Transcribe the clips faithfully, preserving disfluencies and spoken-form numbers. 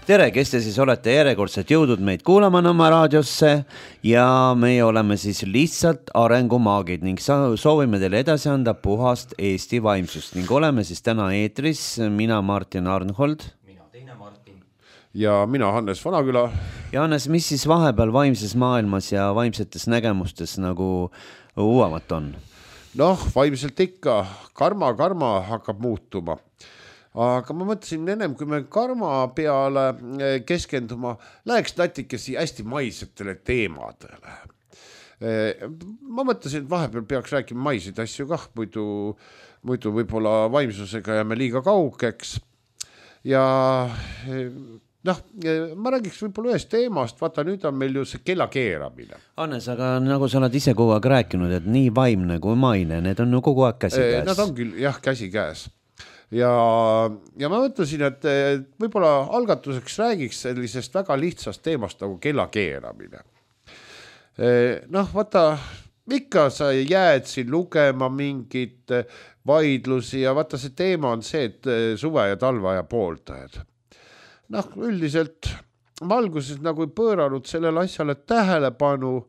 tere, kes te siis olete järjekordselt jõudnud meid kuulama oma raadiosse ja meie oleme siis lihtsalt arengumaagid ning soovime teile edasi anda puhast Eesti vaimsust ning oleme siis täna eetris, mina Martin Arnhold. Mina teine Martin. Ja mina Hannes Vanaküla. Ja Hannes, mis siis vahepeal vaimses maailmas ja vaimsetes nägemustes nagu uuemat on? Noh, vaimselt ikka karma, karma hakkab muutuma. Aga ma mõtlesin ennem, kui me karma peale keskenduma, läheks natikesi hästi maisetele teemadele. Ma mõtlesin, et vahepeal peaks rääkima maiseid asju kah, muidu, muidu võib-olla vaimsusega jääme liiga kaugeks. Ja noh, ma räägiks võib-olla ühest teemast, vaata nüüd on meil ju see kella keeramine. Hannes, aga nagu sa oled ise kogu aeg rääkinud, et nii vaimne kui maine, need on ju kogu aeg käsi käes. Nad on küll jah, käsi käes. Ja, ja ma mõtlesin, et võib-olla algatuseks räägiks sellisest väga lihtsast teemast nagu kella keeramine. Noh, vaata, ikka sa jääd siin lugema mingit vaidlusi ja vaata see teema on see, et suve ja talveaja pooldajad. Noh, üldiselt ma alguses nagu ei pööranud sellele asjale tähelepanu,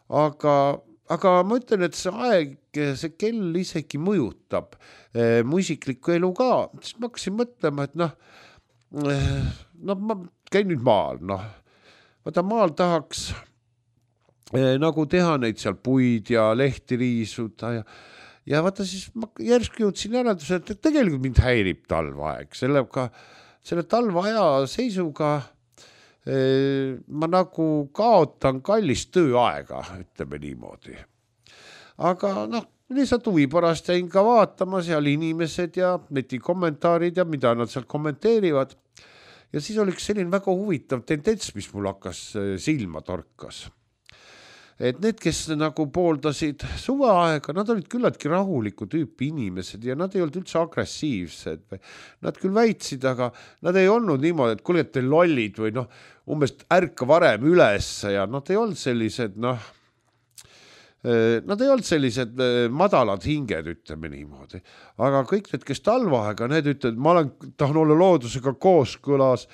aga Aga ma ütlen, et see aeg, see kell isegi mõjutab eh, mu isiklikku elu ka. Siis ma hakkasin mõtlema, et noh, eh, no ma käin nüüd maal. Noh. Vaata, maal tahaks eh, nagu teha neid seal puid ja lehti riisuda. Ja, ja vaata siis ma järsku jõudsin järelduse, et tegelikult mind häirib talvaeg. Sellega, selle talvaja seisuga eh, ma nagu kaotan kallist tööaega, ütleme niimoodi. Aga noh, lihtsalt huvi pärast jäin ka vaatama seal inimesed ja netikommentaarid ja mida nad seal kommenteerivad. Ja siis oli selline väga huvitav tendents, mis mul hakkas silma torkas. Et need, kes nagu pooldasid suveaega, nad olid küllaltki rahuliku tüüpi inimesed ja nad ei olnud üldse agressiivsed. Nad küll väitsid, aga nad ei olnud niimoodi, et kuule, et te lollid või noh, umbes ärka varem üles ja nad ei olnud sellised, noh, nad ei olnud sellised madalad hinged, ütleme niimoodi. Aga kõik need, kes talvaega, need ütlevad, ma olen, tahan olla loodusega kooskõlas,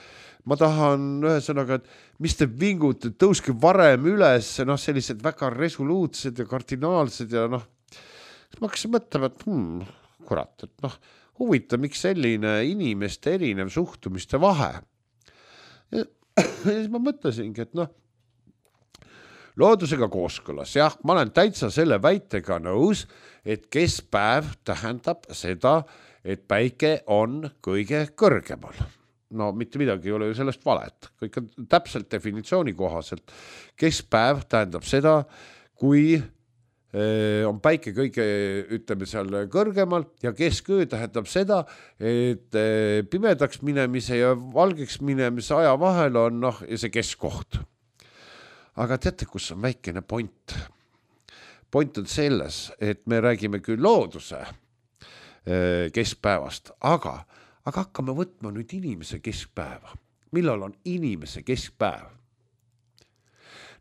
ma tahan ühesõnaga, et mis te vingute, tõuske varem üles, noh, sellised väga resoluutsed ja kardinaalsed ja noh, ma hakkasin mõtlema, et hmm, kurat, et noh, huvita, miks selline inimeste erinev suhtumiste vahe. Ja, ja siis ma mõtlesingi, et noh, loodusega kooskõlas, jah, ma olen täitsa selle väitega nõus, et keskpäev tähendab seda, et päike on kõige kõrgemal. No mitte midagi ei ole ju sellest valet. Kõik on täpselt definitsiooni kohaselt. Keskpäev tähendab seda, kui on päike kõige, ütleme seal kõrgemal ja kesköö tähendab seda, et pimedaks minemise ja valgeks minemise aja vahel on noh, see keskkoht. Aga teate, kus on väikene point? Point on selles, et me räägime küll looduse keskpäevast, aga, aga hakkame võtma nüüd inimese keskpäeva. Millal on inimese keskpäev?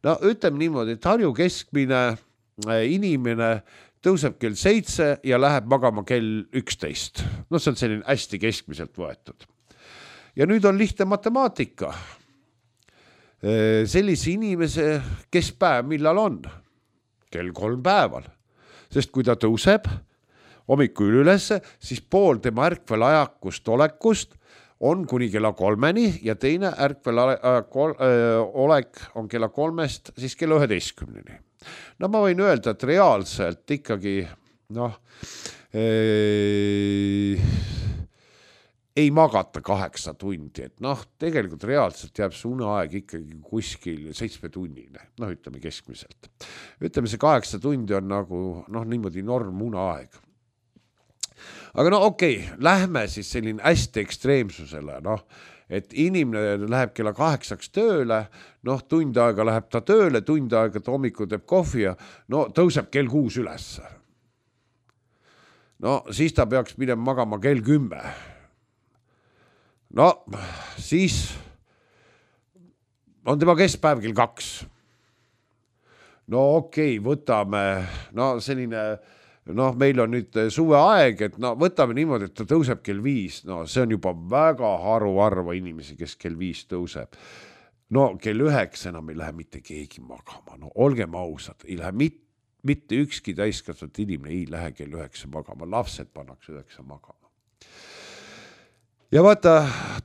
No ütleme niimoodi, et Harju keskmine inimene tõuseb kell seitse ja läheb magama kell üksteist. No see on selline hästi keskmiselt võetud. Ja nüüd on lihtne matemaatika. Sellise inimese keskpäev millal on? Kell kolm päeval. Sest kui ta tõuseb hommikul ülesse, siis pool tema ärkvel ajakust olekust on kuni kella kolmeni ja teine ärkvel olek on kella kolmest siis kella üheteistkümneni. No ma võin öelda, et reaalselt ikkagi noh, ee, ei magata kaheksa tundi, et noh, tegelikult reaalselt jääb see uneaeg ikkagi kuskil seitsme tunnine, noh ütleme keskmiselt. Ütleme see kaheksa tundi on nagu noh, niimoodi norm uneaeg. Aga no okei, okay, lähme siis selline hästi ekstreemsusele, noh, et inimene läheb kella kaheksaks tööle, noh, tund aega läheb ta tööle, tund aega ta hommikul teeb kohvi ja no tõuseb kell kuus üles. No siis ta peaks minema magama kell kümme. No siis on tema keskpäev kell kaks. No okei, okay, võtame no selline noh, meil on nüüd suveaeg, et no võtame niimoodi, et ta tõuseb kell viis, no see on juba väga haruharva inimesi, kes kell viis tõuseb. No kell üheksa enam ei lähe mitte keegi magama, no olgem ausad, ei lähe mit, mitte ükski täiskasvanud inimene ei lähe kell üheksa magama, lapsed pannakse üheksa magama. Ja vaata,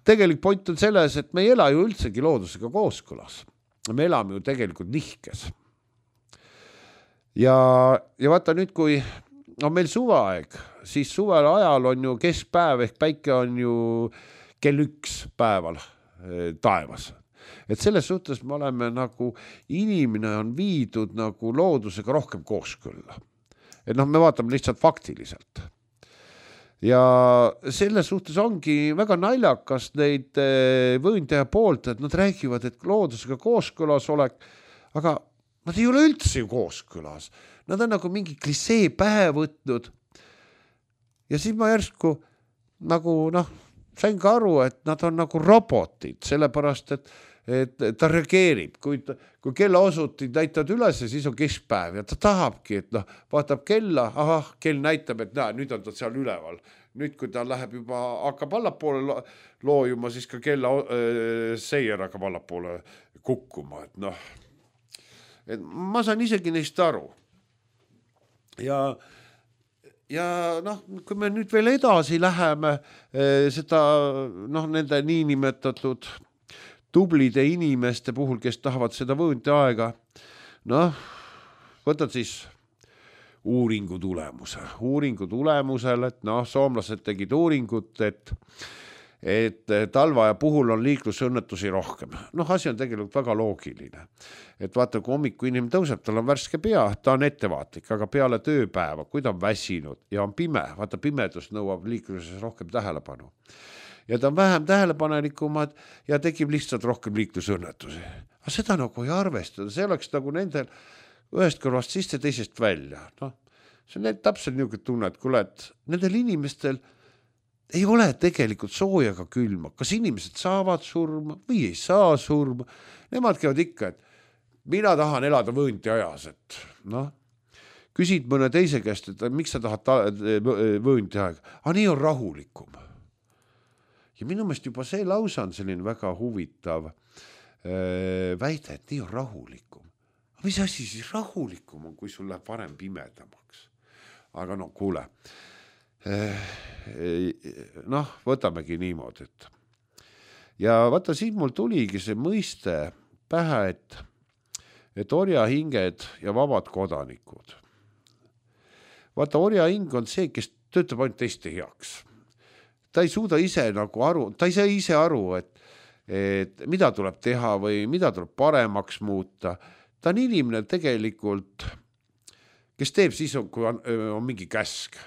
tegelik point on selles, et me ei ela ju üldsegi loodusega kooskõlas. Me elame ju tegelikult nihkes. Ja, ja vaata nüüd, kui on meil suveaeg, siis suvel ajal on ju keskpäev ehk päike on ju kell üks päeval taevas. Et selles suhtes me oleme nagu, inimene on viidud nagu loodusega rohkem kooskõlla. Et noh, me vaatame lihtsalt faktiliselt. Ja selles suhtes ongi väga naljakas neid võõndaja poolt, et nad räägivad, et loodusega kooskõlas olek, aga nad ei ole üldse ju kooskõlas. Nad on nagu mingi klisee pähe võtnud. Ja siis ma järsku nagu, noh, sain ka aru, et nad on nagu robotid, sellepärast, et et ta reageerib, kui, kui kella osutid näitavad üles, siis on keskpäev ja ta tahabki, et noh, vaatab kella, ahah, kell näitab, et näe, nüüd on ta seal üleval. Nüüd, kui ta läheb juba, hakkab allapoole loojuma, siis ka kella äh, seier hakkab allapoole kukkuma, et noh, et ma saan isegi neist aru. Ja Ja noh, kui me nüüd veel edasi läheme äh, seda, noh, nende niinimetatud tublide inimeste puhul, kes tahavad seda võõnti aega, noh, võtad siis uuringu tulemuse. Uuringu tulemusel, et noh, soomlased tegid uuringut, et, et talvaja puhul on liiklusõnnetusi rohkem. Noh, asi on tegelikult väga loogiline. Et vaata, kui hommiku inimene tõuseb, tal on värske pea, ta on ettevaatlik, aga peale tööpäeva, kui ta on väsinud ja on pime, vaata, pimedus nõuab liikluses rohkem tähelepanu. Ja ta on vähem tähelepanelikumad ja tekib lihtsalt rohkem liiklusõnnetusi. Aga seda nagu ei arvestada, see oleks nagu nendel ühest kõrvast sisse teisest välja. No, see on täpselt niisugune tunne, et kuule, et nendel inimestel ei ole tegelikult sooja ega külma. Kas inimesed saavad surma või ei saa surma? Nemad käivad ikka, et mina tahan elada võõnti ajas, et noh, küsid mõne teise käest, et miks sa tahad ta- võõnti aega? Aga nii on rahulikum. Ja minu meelest juba see lausa on selline väga huvitav äh, väide, et nii on rahulikum. Aga mis asi siis rahulikum on, kui sul läheb varem pimedamaks? Aga no kuule, äh, noh, võtamegi niimoodi. Et. Ja vaata, siin mul tuligi see mõiste pähe, et, et orjahinged ja vabad kodanikud. Vaata, orjahing on see, kes töötab ainult teiste heaks. Ta ei suuda ise nagu aru, ta ei saa ise aru, et, et mida tuleb teha või mida tuleb paremaks muuta. Ta on inimene tegelikult, kes teeb siis, kui on, on mingi käsk.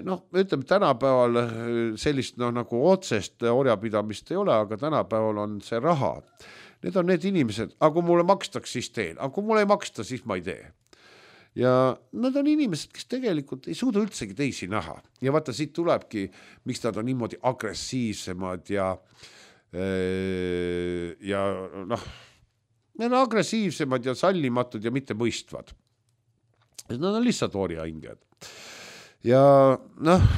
Noh, ütleme, tänapäeval sellist no, nagu otsest orjapidamist ei ole, aga tänapäeval on see raha. Need on need inimesed, aga kui mulle makstaks, siis teen. Aga kui mulle ei maksta, siis ma ei tee. Ja nad on inimesed, kes tegelikult ei suuda üldsegi teisi näha. Ja vaata, siit tulebki, miks nad on niimoodi agressiivsemad ja, ja noh, nad on agressiivsemad ja sallimatud ja mitte mõistvad. Nad on lihtsalt orjahinged. Ja noh,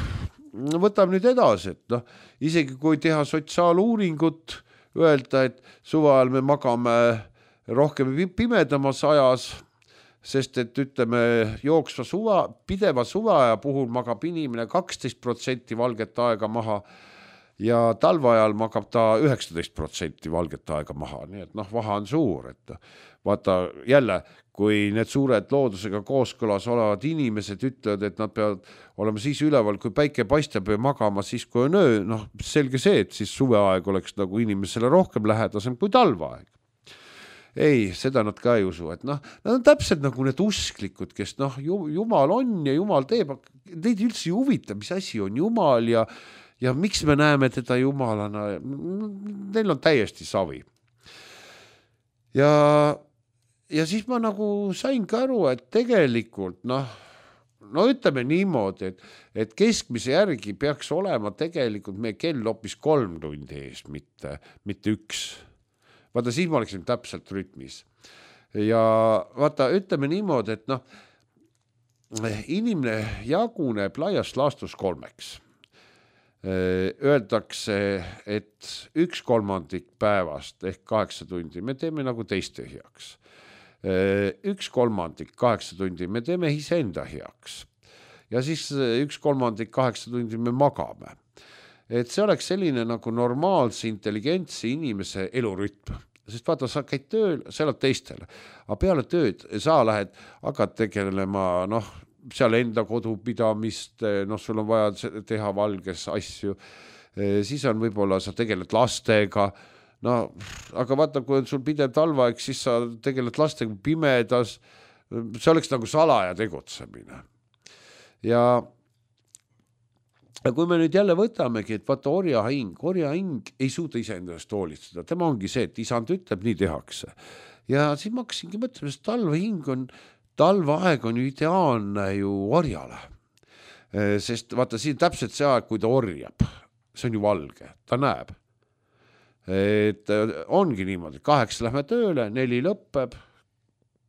võtame nüüd edasi, et noh, isegi kui teha sotsiaaluuringut, öelda, et suveajal me magame rohkem pimedamas ajas, sest et ütleme, jooksva suva, pideva suveaja puhul magab inimene kaksteist protsenti valget aega maha ja talveajal magab ta üheksateist protsenti valget aega maha. Nii et noh, vahe on suur, et vaata jälle, kui need suured loodusega kooskõlas olevad inimesed ütlevad, et nad peavad olema siis üleval, kui päike paistab ja magama siis, kui on öö, noh, selge see, et siis suveaeg oleks nagu inimesele rohkem lähedasem kui talveaeg. Ei, seda nad ka ei usu, et noh, nad on täpselt nagu need usklikud, kes noh, Jumal on ja Jumal teeb, neid üldse ei huvita, mis asi on Jumal ja, ja miks me näeme teda Jumalana, neil on täiesti savi. Ja, ja siis ma nagu sain ka aru, et tegelikult noh, no ütleme niimoodi, et, et keskmise järgi peaks olema tegelikult meie kell hoopis kolm tundi ees, mitte, mitte üks. Vaata, siis ma oleksin täpselt rütmis. Ja vaata, ütleme niimoodi, et noh, inimene jaguneb laias laastus kolmeks. Öeldakse, et üks kolmandik päevast ehk kaheksa tundi me teeme nagu teiste heaks. Üks kolmandik kaheksa tundi me teeme iseenda heaks. Ja siis üks kolmandik kaheksa tundi me magame. Et see oleks selline nagu normaalse, intelligentse inimese elurütm. Sest vaata, sa käid tööl, sa elad teistele. Aga peale tööd sa lähed, hakkad tegelema, noh, seal enda kodupidamist, noh, sul on vaja teha valges asju. Siis on võib-olla, sa tegeled lastega. No, aga vaata, kui on sul pidev talvaeg, siis sa tegeled lastega pimedas. See oleks nagu salaja tegutsemine. Ja Ja kui me nüüd jälle võtamegi, et vaata orja hing, orja hing ei suuda iseendast hoolitseda. Tema ongi see, et isand ütleb, nii tehakse. Ja siis ma hakkasingi mõtlema, sest talvehing on, talveaeg on ju ideaalne ju orjale. Sest vaata, siin täpselt see aeg, kui ta orjab, see on ju valge, ta näeb. Et ongi niimoodi, kaheksa lähme tööle, neli lõppeb,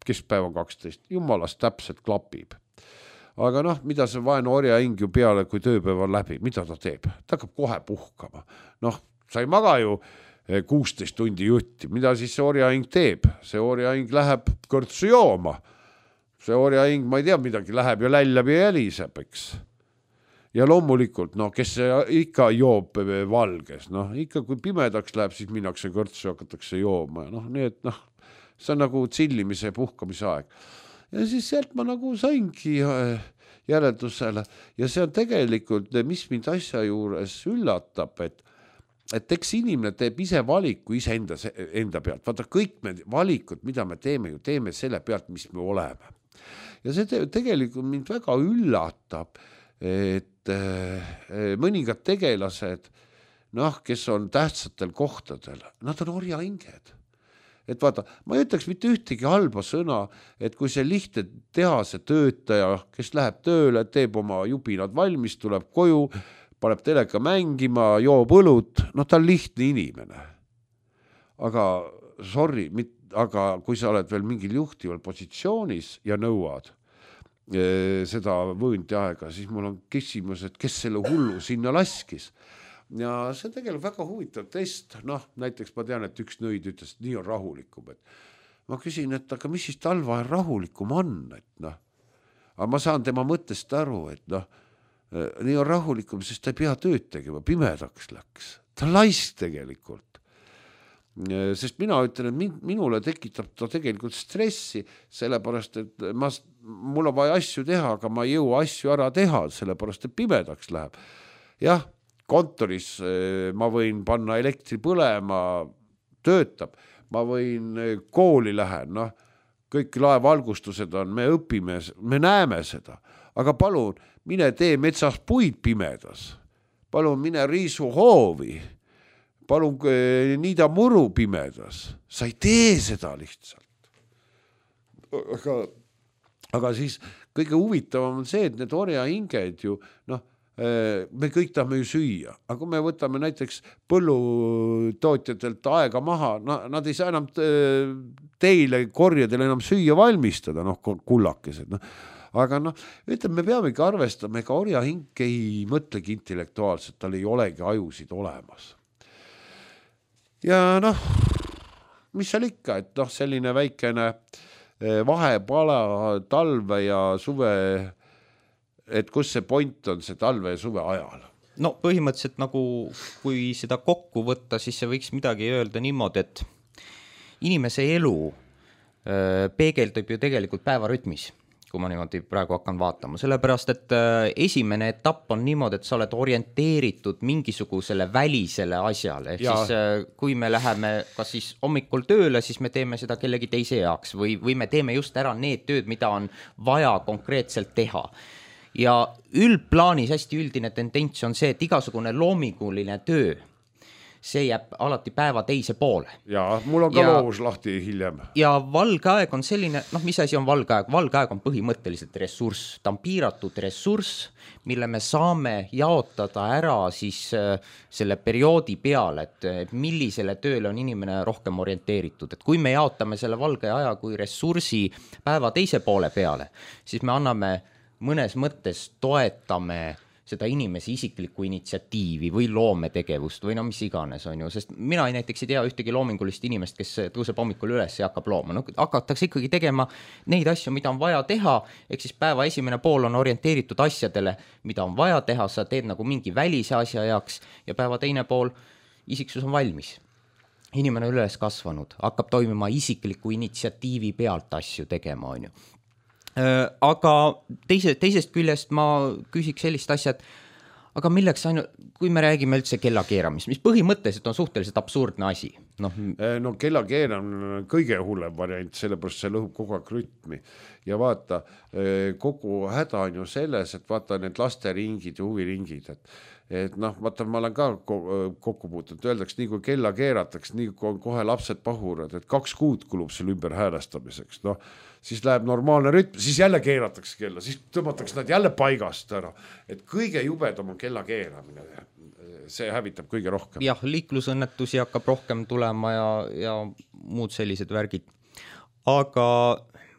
keskpäev on kaksteist, jumalast täpselt klapib. Aga noh, mida see vaene orja hing ju peale, kui tööpäev on läbi, mida ta teeb? Ta hakkab kohe puhkama. Noh, sa ei maga ju kuusteist tundi jutti. Mida siis see orja hing teeb? See orja hing läheb kõrtsu jooma. See orja hing, ma ei tea, midagi läheb ja lällab ja jäliseb, eks. Ja loomulikult, noh, kes ikka joob valges, noh, ikka kui pimedaks läheb, siis minnakse kõrtsu ja hakatakse jooma. Noh, nii et noh, see on nagu tsillimise ja puhkamise aeg. Ja siis sealt ma nagu saingi järeldusele ja see on tegelikult, mis mind asja juures üllatab, et, et eks inimene teeb ise valiku ise enda, enda pealt. Vaata, kõik me valikud, mida me teeme, ju teeme selle pealt, mis me oleme. Ja see te, tegelikult mind väga üllatab, et mõningad tegelased, noh, kes on tähtsatel kohtadel, nad on orja hinged. Et vaata, ma ei ütleks mitte ühtegi halba sõna, et kui see lihtne tehase töötaja, kes läheb tööle, teeb oma jubinad valmis, tuleb koju, paneb teleka mängima, joob õlut, noh, ta on lihtne inimene. Aga, sorry, mit, aga kui sa oled veel mingil juhtival positsioonis ja nõuad e, seda võõnti aega, siis mul on küsimus, et kes selle hullu sinna laskis. Ja see on tegelikult väga huvitav test. Noh, näiteks ma tean, et üks nõid ütles, et nii on rahulikum. Et ma küsin, et aga mis siis talveajal rahulikum on? Et noh, aga ma saan tema mõttest aru, et noh, nii on rahulikum, sest ta ei pea tööd tegema, pimedaks läks. Ta on laisk tegelikult. Sest mina ütlen, et minule tekitab ta tegelikult stressi, sellepärast, et ma, mul on vaja asju teha, aga ma ei jõua asju ära teha, sellepärast, et pimedaks läheb. Jah, kontoris ma võin panna elektri põlema, töötab, ma võin kooli lähen, noh, kõik laevalgustused on, me õpime, me näeme seda, aga palun, mine tee metsas puid pimedas, palun mine riisu hoovi, palun niida muru pimedas, sa ei tee seda lihtsalt. Aga, aga siis kõige huvitavam on see, et need orja hinged ju, noh, me kõik tahame ju süüa, aga kui me võtame näiteks põllutootjatelt aega maha, nad ei saa enam teile korjadele enam süüa valmistada, noh, kullakesed, noh. Aga noh, ütleme, me peamegi arvestama, ega orja hing ei mõtlegi intellektuaalselt, tal ei olegi ajusid olemas. Ja noh, mis seal ikka, et noh, selline väikene vahepala talve ja suve, et kus see point on see talve ja suve ajal? No põhimõtteliselt nagu, kui seda kokku võtta, siis see võiks midagi öelda niimoodi, et inimese elu peegeldub ju tegelikult päevarütmis, kui ma niimoodi praegu hakkan vaatama. Sellepärast, et esimene etapp on niimoodi, et sa oled orienteeritud mingisugusele välisele asjale. Ehk ja. Siis kui me läheme kas siis hommikul tööle, siis me teeme seda kellegi teise jaoks või, või me teeme just ära need tööd, mida on vaja konkreetselt teha. Ja üldplaanis hästi üldine tendents on see, et igasugune loominguline töö, see jääb alati päeva teise poole. Ja mul on ka ja, loovus lahti hiljem. Ja valge aeg on selline, noh, mis asi on valge aeg? Valge aeg on põhimõtteliselt ressurss. Ta on piiratud ressurss, mille me saame jaotada ära siis selle perioodi peale, et millisele tööle on inimene rohkem orienteeritud. Et kui me jaotame selle valge aja kui ressursi päeva teise poole peale, siis me anname mõnes mõttes toetame seda inimese isiklikku initsiatiivi või loometegevust või no mis iganes on ju, sest mina ei näiteks ei tea ühtegi loomingulist inimest, kes tõuseb hommikul üles ja hakkab looma. No, hakatakse ikkagi tegema neid asju, mida on vaja teha, ehk siis päeva esimene pool on orienteeritud asjadele, mida on vaja teha, sa teed nagu mingi välise asja jaoks ja päeva teine pool isiksus on valmis. Inimene on üles kasvanud, hakkab toimima isikliku initsiatiivi pealt asju tegema, on ju. Aga teise, teisest küljest ma küsiks sellist asja, et aga milleks ainult, kui me räägime üldse kella keeramist, mis põhimõtteliselt on suhteliselt absurdne asi. No, no kella keeramine on kõige hullem variant, sellepärast see lõhub kogu aeg rütmi. Ja vaata, kogu häda on ju selles, et vaata need lasteringid ja huviringid, et et noh, vaata, ma olen ka kokku puutunud, öeldaks, nii kui kella keerataks, nii kui kohe lapsed pahurad, et kaks kuud kulub selle ümber häälestamiseks, noh, siis läheb normaalne rütm, siis jälle keeratakse kella, siis tõmmatakse nad jälle paigast ära, et kõige jubedam on kella keeramine, see hävitab kõige rohkem. Jah, liiklusõnnetusi hakkab rohkem tulema ja, ja muud sellised värgid. Aga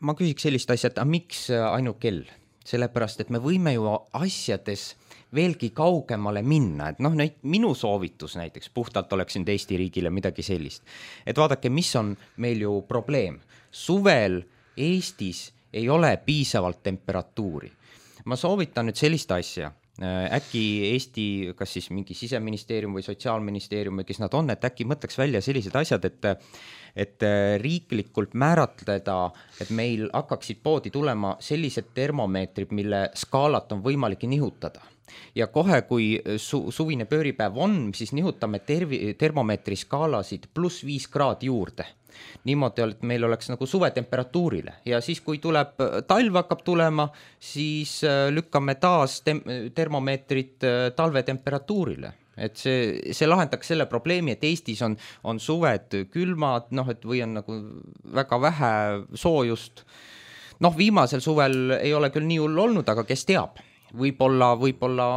ma küsiks sellist asja, et a, miks ainult kell? Sellepärast, et me võime ju asjades veelgi kaugemale minna, et noh, minu soovitus näiteks puhtalt oleks nüüd Eesti riigile midagi sellist, et vaadake, mis on meil ju probleem. Suvel Eestis ei ole piisavalt temperatuuri. Ma soovitan nüüd sellist asja, äkki Eesti, kas siis mingi siseministeerium või sotsiaalministeerium või kes nad on, et äkki mõtleks välja sellised asjad, et et riiklikult määratleda, et meil hakkaksid poodi tulema sellised termomeetrid, mille skaalat on võimalik nihutada. Ja kohe, kui su- suvine pööripäev on, siis nihutame tervi- termomeetri skaalasid pluss viis kraadi juurde. Niimoodi, et meil oleks nagu suvetemperatuurile ja siis, kui tuleb talv hakkab tulema, siis lükkame taas tem- termomeetrit talvetemperatuurile. Et see, see lahendaks selle probleemi, et Eestis on, on suved külmad, noh, et või on nagu väga vähe soojust. Noh, viimasel suvel ei ole küll nii hull olnud, aga kes teab, võib-olla, võib-olla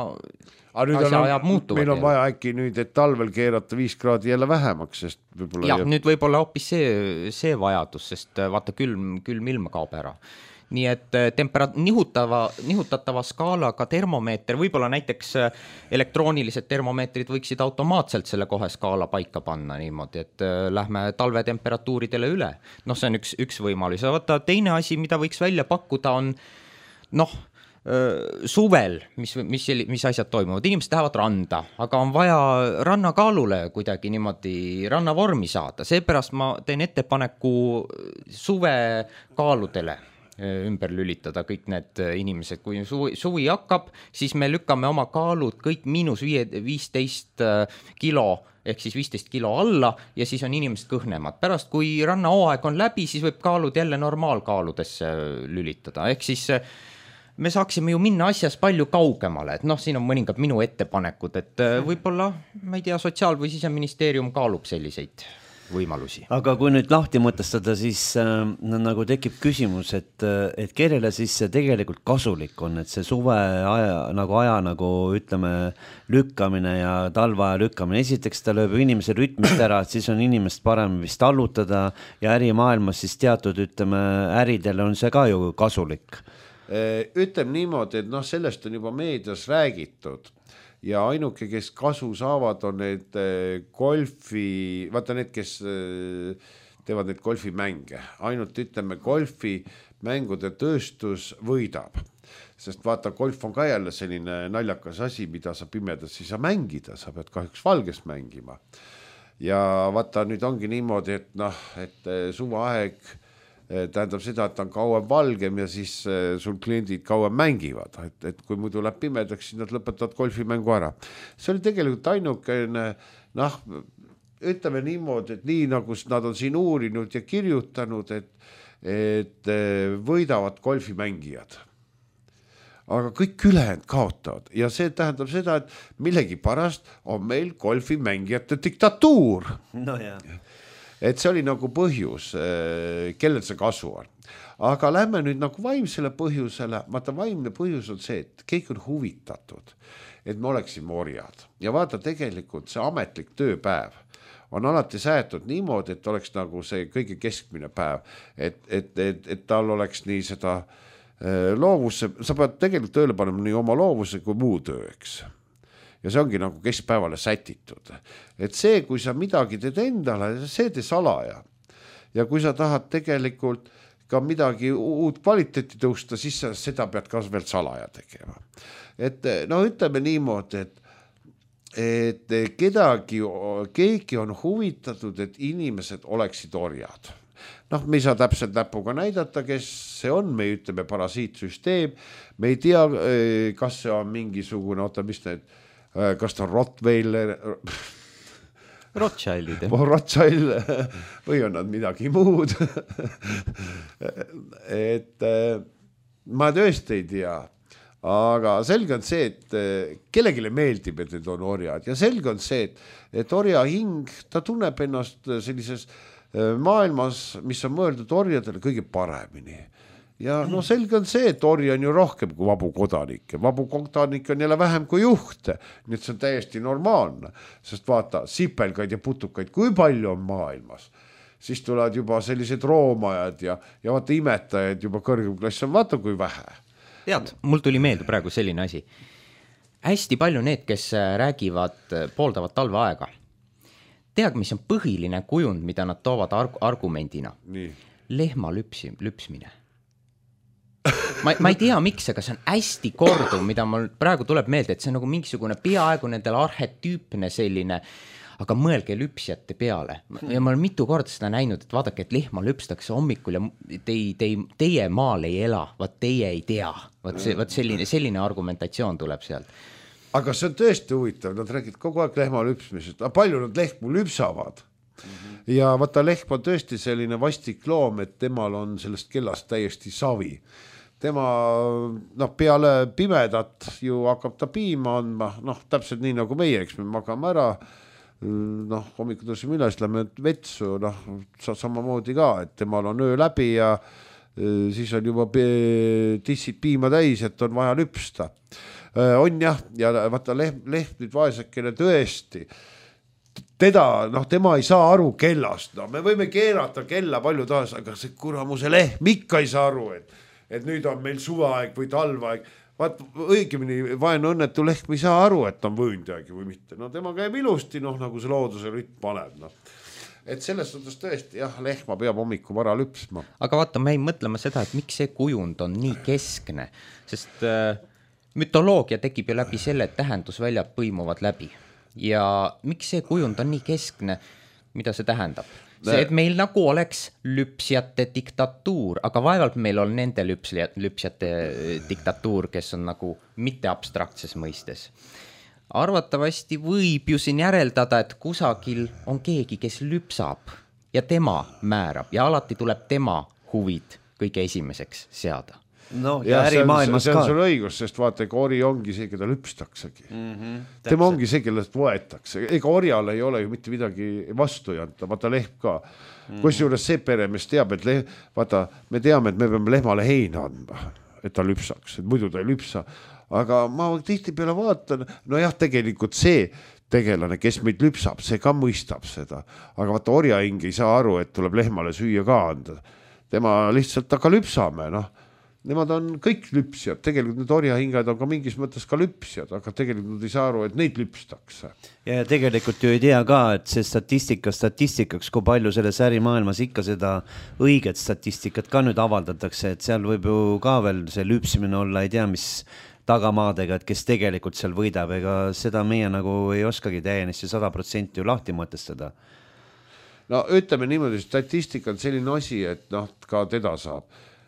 asja ajab muutuvad. Meil on vaja äkki nüüd, et talvel keerata viis kraadi jälle vähemaks, sest võib-olla... Jah, nüüd võib-olla hoopis see, see vajadus, sest vaata külm, külm ilm kaob ära. Nii et tempera- nihutava, nihutatava skaalaga termomeeter, võib-olla näiteks elektroonilised termomeetrid võiksid automaatselt selle kohe skaala paika panna niimoodi, et lähme talvetemperatuuridele üle. Noh, see on üks, üks võimalus. Vaata, teine asi, mida võiks välja pakkuda on, noh, suvel, mis, mis, mis asjad toimuvad, inimesed lähevad randa, aga on vaja rannakaalule kuidagi niimoodi rannavormi saada, seepärast ma teen ettepaneku suve kaaludele ümber lülitada kõik need inimesed, kui suvi, suvi hakkab, siis me lükkame oma kaalud kõik miinus viisteist kilo ehk siis viisteist kilo alla ja siis on inimesed kõhnemad. Pärast, kui rannahooaeg on läbi, siis võib kaalud jälle normaalkaaludesse lülitada, ehk siis me saaksime ju minna asjas palju kaugemale, et noh, siin on mõningad minu ettepanekud, et võib-olla, ma ei tea, sotsiaal- või siseministeerium kaalub selliseid võimalusi. Aga kui nüüd lahti mõtestada, siis äh, nagu tekib küsimus, et, et kellele siis see tegelikult kasulik on, et see suve aja, nagu aja nagu ütleme lükkamine ja talveaja lükkamine. Esiteks ta lööb inimese rütmist ära, et siis on inimest parem vist allutada ja ärimaailmas siis teatud, ütleme, äridele on see ka ju kasulik. Ütleme niimoodi, et noh, sellest on juba meedias räägitud. Ja ainuke, kes kasu saavad, on need golfi, vaata need, kes teevad need golfimänge. Ainult ütleme, golfimängude tööstus võidab. Sest vaata, golf on ka jälle selline naljakas asi, mida sa pimedas ei saa mängida, sa pead kahjuks valges mängima. Ja vaata, nüüd ongi niimoodi, et noh, et suveaeg tähendab seda, et ta on kauem valgem ja siis sul kliendid kauem mängivad, et, et kui muidu läheb pimedaks, siis nad lõpetavad golfimängu ära. See oli tegelikult ainukene, noh, ütleme niimoodi, et nii nagu nad on siin uurinud ja kirjutanud, et, et võidavad golfimängijad. Aga kõik ülejäänud kaotavad ja see tähendab seda, et millegi pärast on meil golfimängijate diktatuur. No jah. Et see oli nagu põhjus, kellel see kasu on. Aga lähme nüüd nagu vaimsele põhjusele, vaata vaimne põhjus on see, et kõik on huvitatud, et me oleksime orjad. Ja vaata tegelikult see ametlik tööpäev on alati säätud niimoodi, et oleks nagu see kõige keskmine päev, et, et, et, et tal oleks nii seda loovusse, sa pead tegelikult tööle panema nii oma loovuse kui muu töö, eks. Ja see ongi nagu keskpäevale sätitud. Et see, kui sa midagi teed endale, see tee salaja. Ja kui sa tahad tegelikult ka midagi uut kvaliteeti tõusta, siis sa seda pead ka veel salaja tegema. Et no ütleme niimoodi, et et kedagi, keegi on huvitatud, et inimesed oleksid orjad. Noh, me ei saa täpselt näpuga näidata, kes see on, me ütleme parasiitsüsteem, me ei tea, kas see on mingisugune, oota, mis need, kas ta on Rottweiler, Rothschildid. Rothschild või on nad midagi muud. Et ma tõesti ei tea. Aga selge on see, et kellegile meeldib, et need on orjad ja selge on see, et, et orja hing, ta tunneb ennast sellises maailmas, mis on mõeldud orjadele kõige paremini. Ja no selge on see, et orja on ju rohkem kui vabu kodanikke. Vabu kodanikke on jälle vähem kui juhte. Nii et see on täiesti normaalne, sest vaata, sipelgaid ja putukaid, kui palju on maailmas. Siis tulevad juba sellised roomajad ja, ja vaata imetajad juba kõrgem klass on, vaata kui vähe. Tead, mul tuli meelde praegu selline asi. Hästi palju need, kes räägivad, pooldavad talveaega. Tead, mis on põhiline kujund, mida nad toovad arg- argumendina? Nii. Lehma lüpsi, lüpsmine. Ma, ma ei tea, miks, aga see on hästi korduv, mida mul praegu tuleb meelde, et see on nagu mingisugune peaaegu nendel arhetüüpne selline, aga mõelge lüpsjate peale. Ja ma olen mitu korda seda näinud, et vaadake, et lehma lüpstakse hommikul ja tei, tei, teie maal ei ela, vaat teie ei tea. Vaat, see, vaat selline, selline argumentatsioon tuleb sealt. Aga see on tõesti huvitav, nad räägid kogu aeg lehma lüpsmisest, aga palju nad lehmu lüpsavad. Mm-hmm. Ja vaata, lehm on tõesti selline vastik loom, et temal on sellest kellast täiesti savi. Tema noh, peale pimedat ju hakkab ta piima andma, noh, täpselt nii nagu meie, eks me magame ära, noh, hommikul tõsime üles, lähme vetsu, noh, samamoodi ka, et temal on öö läbi ja siis on juba tissid piima täis, et on vaja lüpsta. On jah, ja vaata lehm, lehm nüüd vaesekene tõesti, teda, noh, tema ei saa aru kellast, no me võime keerata kella palju taas, aga see kuramuse lehm ikka ei saa aru, et, et nüüd on meil suveaeg või talveaeg. Vaat õigemini vaene õnnetu lehm ei saa aru, et on võõndjagi või mitte. No tema käib ilusti, noh, nagu see looduse rütm paneb, noh. Et selles suhtes tõesti, jah, lehma peab hommiku vara lüpsma. Aga vaata, me ei mõtlema seda, et miks see kujund on nii keskne, sest äh, mütoloogia tekib ju läbi selle, et tähendusväljad põimuvad läbi. Ja miks see kujund on nii keskne, mida see tähendab? See, et meil nagu oleks lüpsjate diktatuur, aga vaevalt meil on nende lüpsjate, lüpsjate diktatuur, kes on nagu mitte abstraktses mõistes. Arvatavasti võib ju siin järeldada, et kusagil on keegi, kes lüpsab ja tema määrab ja alati tuleb tema huvid kõige esimeseks seada. No, ja, ja ärimaailmas ka. See on sul ka. õigus, sest vaata, ega ori ongi see, keda lüpstaksegi. Mm-hmm, tema ongi see, kellest võetakse. Ega orjal ei ole ju mitte midagi vastu janta, vaata lehm ka. Mm-hmm. Kus juures see peremees teab, et lehm, vaata, me teame, et me peame lehmale heina andma, et ta lüpsaks, et muidu ta ei lüpsa. Aga ma tihti peale vaatan, no jah, tegelikult see tegelane, kes meid lüpsab, see ka mõistab seda. Aga vaata, orja hing ei saa aru, et tuleb lehmale süüa ka anda. Tema lihtsalt aga lüpsame, noh. Nemad on kõik lüpsjad, tegelikult need orjahingad on ka mingis mõttes ka lüpsjad, aga tegelikult nad ei saa aru, et neid lüpstakse. Ja tegelikult ju ei tea ka, et see statistika statistikaks, kui palju selles ärimaailmas ikka seda õiget statistikat ka nüüd avaldatakse, et seal võib ju ka veel see lüpsimine olla, ei tea, mis tagamaadega, et kes tegelikult seal võidab, ega seda meie nagu ei oskagi täiesti sada protsenti ju lahti mõtestada. No ütleme niimoodi, statistika on selline asi, et noh, ka teda saab.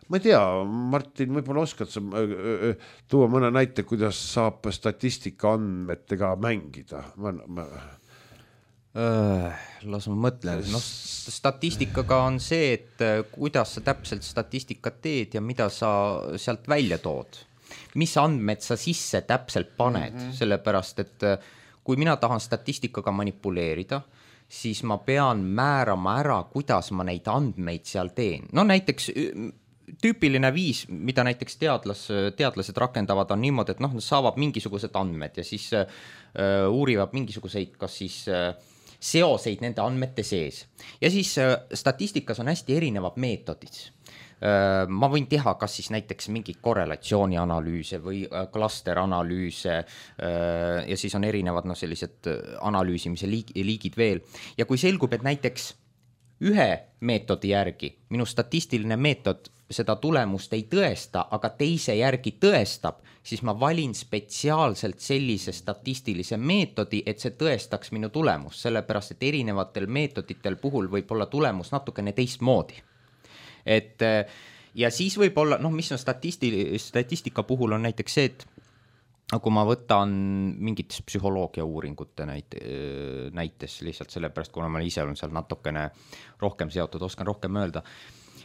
Ma ei tea, Martin, võib-olla oskad sa tuua mõne näite, kuidas saab statistika andmetega mängida? Ma, ma... Äh, las ma mõtlen. No, statistikaga on see, et kuidas sa täpselt statistikat teed ja mida sa sealt välja tood. Mis andmed sa sisse täpselt paned, mm-hmm. sellepärast, et kui mina tahan statistikaga manipuleerida, siis ma pean määrama ära, kuidas ma neid andmeid seal teen. No näiteks tüüpiline viis, mida näiteks teadlas, teadlased rakendavad, on niimoodi, et noh, nad saavad mingisugused andmed ja siis uh, uurivad mingisuguseid, kas siis uh, seoseid nende andmete sees. Ja siis uh, statistikas on hästi erinevad meetodid. ma võin teha kas siis näiteks mingeid korrelatsioonianalüüse või klasteranalüüse ja siis on erinevad no, sellised analüüsimise liigid veel. Ja kui selgub, et näiteks ühe meetodi järgi minu statistiline meetod seda tulemust ei tõesta, aga teise järgi tõestab, siis ma valin spetsiaalselt sellise statistilise meetodi, et see tõestaks minu tulemust, sellepärast et erinevatel meetoditel puhul võib olla tulemus natukene teistmoodi. Et ja siis võib olla, noh, mis on statisti, statistika puhul on näiteks see, et kui ma võtan mingites psühholoogia uuringute näite, näites lihtsalt sellepärast, kuna ma ise olen seal natukene rohkem seotud, oskan rohkem öelda,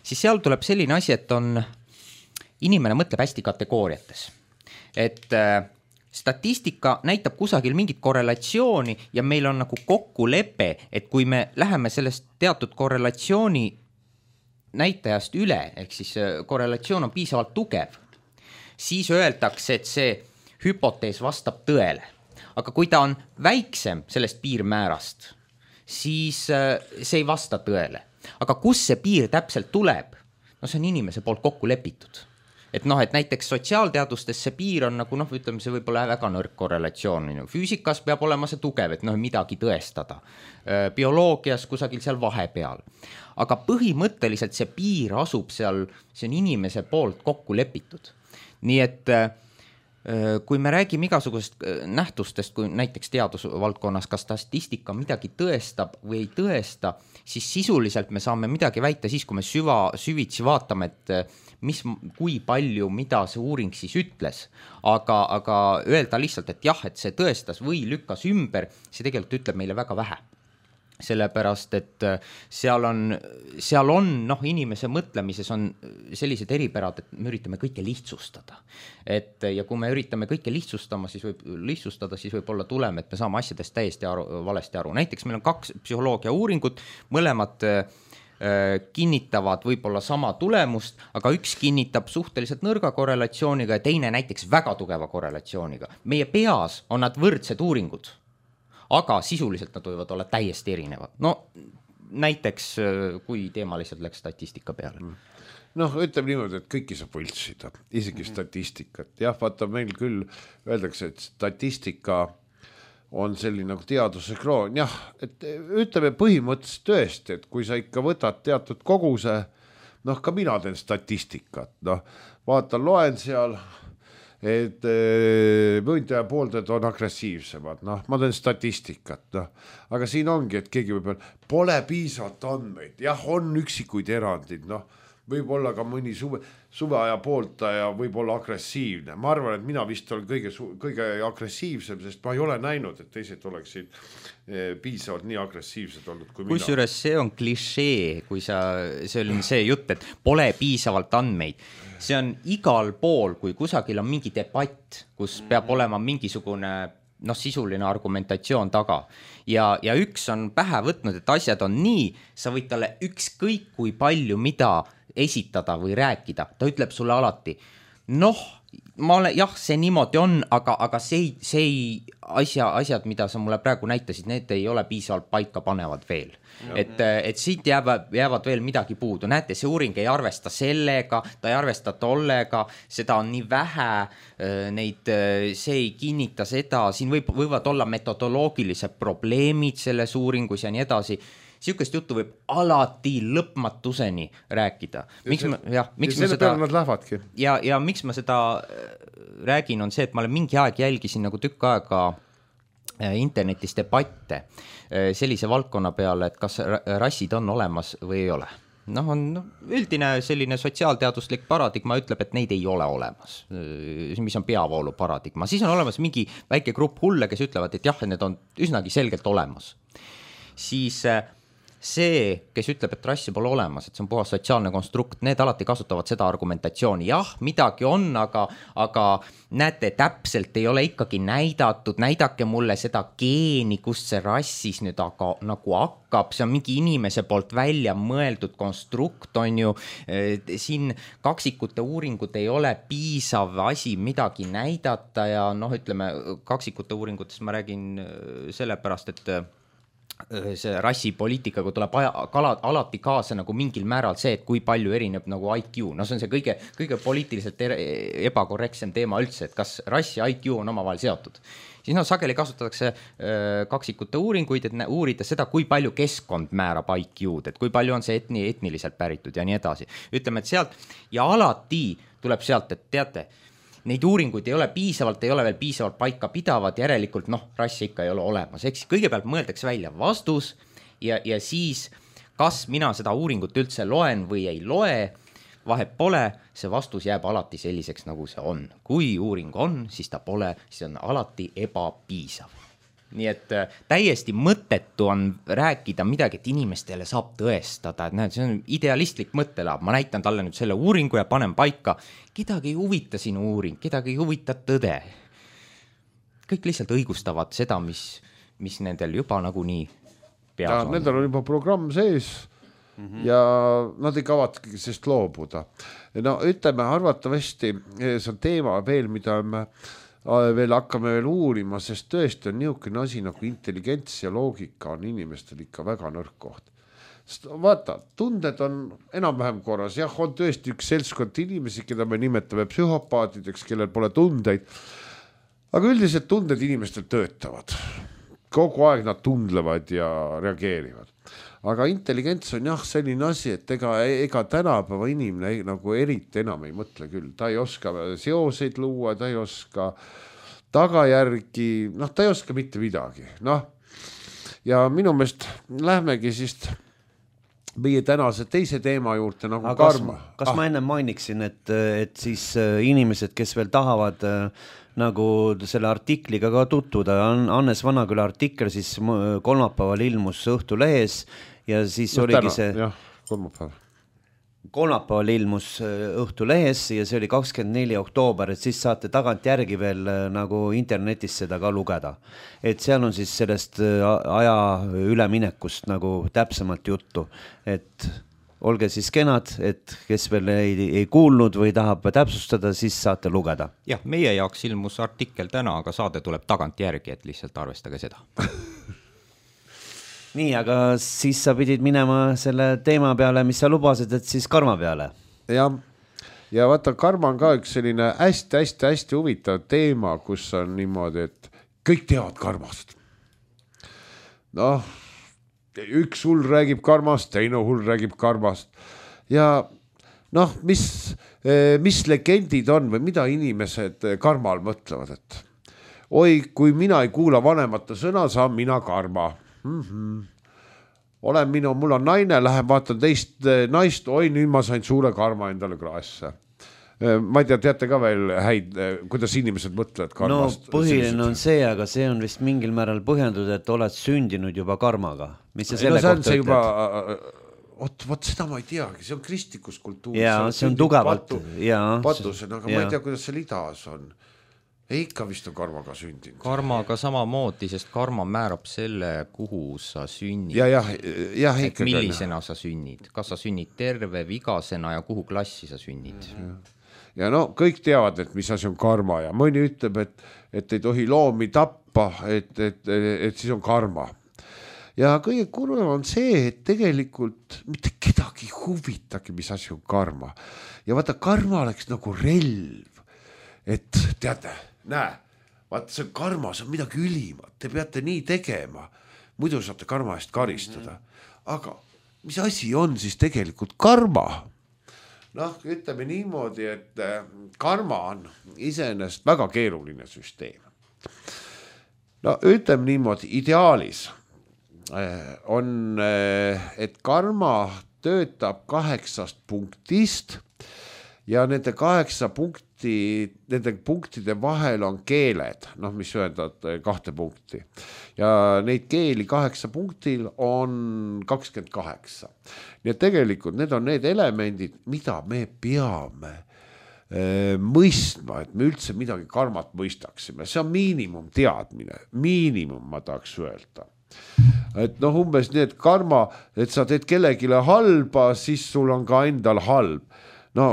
siis seal tuleb selline asi, et on, inimene mõtleb hästi kategooriates. Et statistika näitab kusagil mingit korrelatsiooni ja meil on nagu kokkulepe, et kui me läheme sellest teatud korrelatsiooni näitajast üle, ehk siis korrelatsioon on piisavalt tugev, siis öeldakse, et see hüpotees vastab tõele. Aga kui ta on väiksem sellest piirmäärast, siis see ei vasta tõele. Aga kus see piir täpselt tuleb? No see on inimese poolt kokku lepitud. Et noh, et näiteks sotsiaalteadustes see piir on nagu, noh, ütleme, see võib olla väga nõrk korrelatsioon. Füüsikas peab olema see tugev, et noh, midagi tõestada. Bioloogias kusagil seal vahepeal. Aga põhimõtteliselt see piir asub seal, see on inimese poolt kokku lepitud. Nii et kui me räägime igasugusest nähtustest, kui näiteks teadusvaldkonnas, kas statistika midagi tõestab või ei tõesta, siis sisuliselt me saame midagi väita siis, kui me süva, süvitsi vaatame, et mis, kui palju, mida see uuring siis ütles. Aga, aga öelda lihtsalt, et jah, et see tõestas või lükkas ümber, see tegelikult ütleb meile väga vähe. Sellepärast, et seal on, seal on noh, inimese mõtlemises on sellised eripärad, et me üritame kõike lihtsustada. Et, ja kui me üritame kõike lihtsustama, siis võib, lihtsustada, siis võib olla tulem, et me saame asjadest täiesti aru, valesti aru. Näiteks meil on kaks psühholoogia uuringut, mõlemad kinnitavad võib-olla sama tulemust, aga üks kinnitab suhteliselt nõrga korrelatsiooniga ja teine näiteks väga tugeva korrelatsiooniga. Meie peas on nad võrdsed uuringud, aga sisuliselt nad võivad olla täiesti erinevad. No näiteks, kui teema lihtsalt läks statistika peale. Noh, ütleme niimoodi, et kõiki saab võltsida, isegi statistikat. Jah, vaata, meil küll öeldakse, et statistika on selline nagu teaduse kroon. Jah, et ütleme põhimõtteliselt tõesti, et kui sa ikka võtad teatud koguse, noh, ka mina teen statistikat, noh, vaatan, loen seal, et võitleja pooldajad on agressiivsemad, noh, ma teen statistikat, noh, aga siin ongi, et keegi võib öelda, pole piisavalt andmeid, jah, on üksikuid erandid, noh, võib olla ka mõni suve, suveaja pooltaja võib olla agressiivne, ma arvan, et mina vist olen kõige, kõige agressiivsem, sest ma ei ole näinud, et teised oleksid piisavalt nii agressiivsed olnud kui mina. Kusjuures see on klišee, kui sa, see oli see jutt, et pole piisavalt andmeid. See on igal pool, kui kusagil on mingi debatt, kus peab olema mingisugune noh, sisuline argumentatsioon taga. Ja, ja üks on pähe võtnud, et asjad on nii, sa võid talle ükskõik kui palju mida esitada või rääkida. Ta ütleb sulle alati, noh, ma olen, jah, see niimoodi on, aga, aga see, see asja, asjad, mida sa mulle praegu näitasid, need ei ole piisavalt paika panevad veel. Et, et siit jäävad, jäävad veel midagi puudu. Näete, see uuring ei arvesta sellega, ta ei arvesta tollega, seda on nii vähe, neid, see ei kinnita seda, siin võib, võivad olla metodoloogilised probleemid selles uuringus ja nii edasi. Siukest juttu võib alati lõpmatuseni rääkida. Miks ma, jah, miks ja ma seda, nad lähevadki. Ja, ja miks ma seda räägin, on see, et ma olen mingi aeg jälgisin nagu tükk aega internetis debatte sellise valdkonna peale, et kas rassid on olemas või ei ole. Noh, on üldine selline sotsiaalteaduslik paradigma ütleb, et neid ei ole olemas, mis on peavoolu paradigma. Siis on olemas mingi väike grupp hulle, kes ütlevad, et jah, need on üsnagi selgelt olemas. Siis see, kes ütleb, et rassi pole olemas, et see on puhas sotsiaalne konstrukt, need alati kasutavad seda argumentatsiooni. Jah, midagi on, aga, aga näete, täpselt ei ole ikkagi näidatud, näidake mulle seda geeni, kust see rassis nüüd aga, nagu hakkab, see on mingi inimese poolt välja mõeldud konstrukt, on ju, siin kaksikute uuringud ei ole piisav asi midagi näidata ja noh, ütleme, kaksikute uuringutes ma räägin sellepärast, et see rassipoliitikaga tuleb aja, kala, alati kaasa nagu mingil määral see, et kui palju erineb nagu I Q, no see on see kõige, kõige poliitiliselt ebakorrektsem teema üldse, et kas rass ja I Q on omavahel seotud. Siis no sageli kasutatakse öö, kaksikute uuringuid, et uurida seda, kui palju keskkond määrab I Q-d, et kui palju on see etni, etniliselt päritud ja nii edasi. Ütleme, et sealt ja alati tuleb sealt, et teate, neid uuringuid ei ole piisavalt, ei ole veel piisavalt paika pidavad, järelikult noh, rassi ikka ei ole olemas. Eks kõigepealt mõeldakse välja vastus ja, ja siis, kas mina seda uuringut üldse loen või ei loe, vahet pole, see vastus jääb alati selliseks, nagu see on. Kui uuring on, siis ta pole, siis on alati ebapiisav. Nii et äh, täiesti mõttetu on rääkida midagi, et inimestele saab tõestada, et näed, see on idealistlik mõttelaab, ma näitan talle nüüd selle uuringu ja panen paika, kedagi ei huvita sinu uuring, kedagi ei huvita tõde. Kõik lihtsalt õigustavad seda, mis, mis nendel juba nagunii peas ja, on. Nendel on juba programm sees mm-hmm. ja nad ei kavatki sest loobuda. No ütleme, arvatavasti see on teema veel, mida me veel hakkame veel uurima, sest tõesti on niisugune asi nagu intelligents ja loogika on inimestel ikka väga nõrk koht. Sest vaata, tunded on enam-vähem korras, jah, on tõesti üks seltskond inimesi, keda me nimetame psühhopaatideks, kellel pole tundeid, aga üldiselt tunded inimestel töötavad. Kogu aeg nad tundlevad ja reageerivad. Aga intelligents on jah selline asi, et ega, ega tänapäeva inimene nagu eriti enam ei mõtle küll. Ta ei oska seoseid luua, ta ei oska tagajärgi, noh, ta ei oska mitte midagi. Noh, ja minu meelest lähmegi siis meie tänase teise teema juurde nagu aga karma. Kas, kas ah. ma enne mainiksin, et, et siis inimesed, kes veel tahavad nagu selle artikliga ka tutvuda, Hannes Vanaküla artikkel siis kolmapäeval ilmus Õhtulehes ja siis no, oligi täna, see jah, kolmapäeval. kolmapäeval ilmus Õhtulehes ja see oli kakskümmend neli oktoober, et siis saate tagant järgi veel nagu internetis seda ka lugeda. Et seal on siis sellest aja üleminekust nagu täpsemalt juttu, et olge siis kenad, et kes veel ei, ei kuulnud või tahab täpsustada, siis saate lugeda. Jah, meie jaoks ilmus artikkel täna, aga saade tuleb tagant järgi, et lihtsalt arvestage seda. Nii, aga siis sa pidid minema selle teema peale, mis sa lubasid, et siis karma peale. Ja, ja vaata, karma on ka üks selline hästi-hästi-hästi huvitav teema, kus on niimoodi, et kõik teavad karmast. Noh, üks hull räägib karmast, teine hull räägib karmast ja noh, mis, mis legendid on või mida inimesed karmal mõtlevad, et oi, kui mina ei kuula vanemate sõna, saan mina karma. Mm-hmm. Olen minu, mul on naine, lähen vaatan teist naist, oi, nüüd ma sain suure karma endale kraesse. Ma ei tea, teate ka veel häid, kuidas inimesed mõtlevad karmast? No põhiline on see, aga see on vist mingil määral põhjendud, et oled sündinud juba karmaga. Mis sa selle no, kohta ütled? Juba, ot, ot seda ma ei teagi, see on kristlikus kultuuris. Jaa, see on tugevalt. Patu, patusena, aga ja. Ma ei tea, kuidas see lidas on. Ikka vist on karmaga sündinud. Karmaga samamoodi, sest karma määrab selle, kuhu sa sünnid. Ja, ja, ja, et millisena sa sünnid. Kas sa sünnid terve, vigasena ja kuhu klassi sa sünnid. Ja. Ja no kõik teavad, et mis asi on karma ja mõni ütleb, et, et ei tohi loomi tappa, et, et, et siis on karma. Ja kõige kurvem on see, et tegelikult mitte kedagi huvitagi, mis asi on karma. Ja vaata, karma oleks nagu relv, et teate, näe, vaata see karma, see on midagi ülimat, te peate nii tegema, muidu saate karma eest karistada. Aga mis asi on siis tegelikult karma? Noh, ütleme niimoodi, et karma on iseenesest väga keeruline süsteem. No ütleme niimoodi, ideaalis on, et karma töötab kaheksast punktist ja nende kaheksa punkti, nende punktide vahel on keeled, noh, mis ühendavad kahte punkti. Ja neid keeli kaheksa punktil on kakskümmend kaheksa. Nii et tegelikult need on need elemendid, mida me peame e, mõistma, et me üldse midagi karmat mõistaksime. See on miinimum teadmine, miinimum ma tahaks öelda. Et noh, umbes nii, et karma, et sa teed kellegile halba, siis sul on ka endal halb. No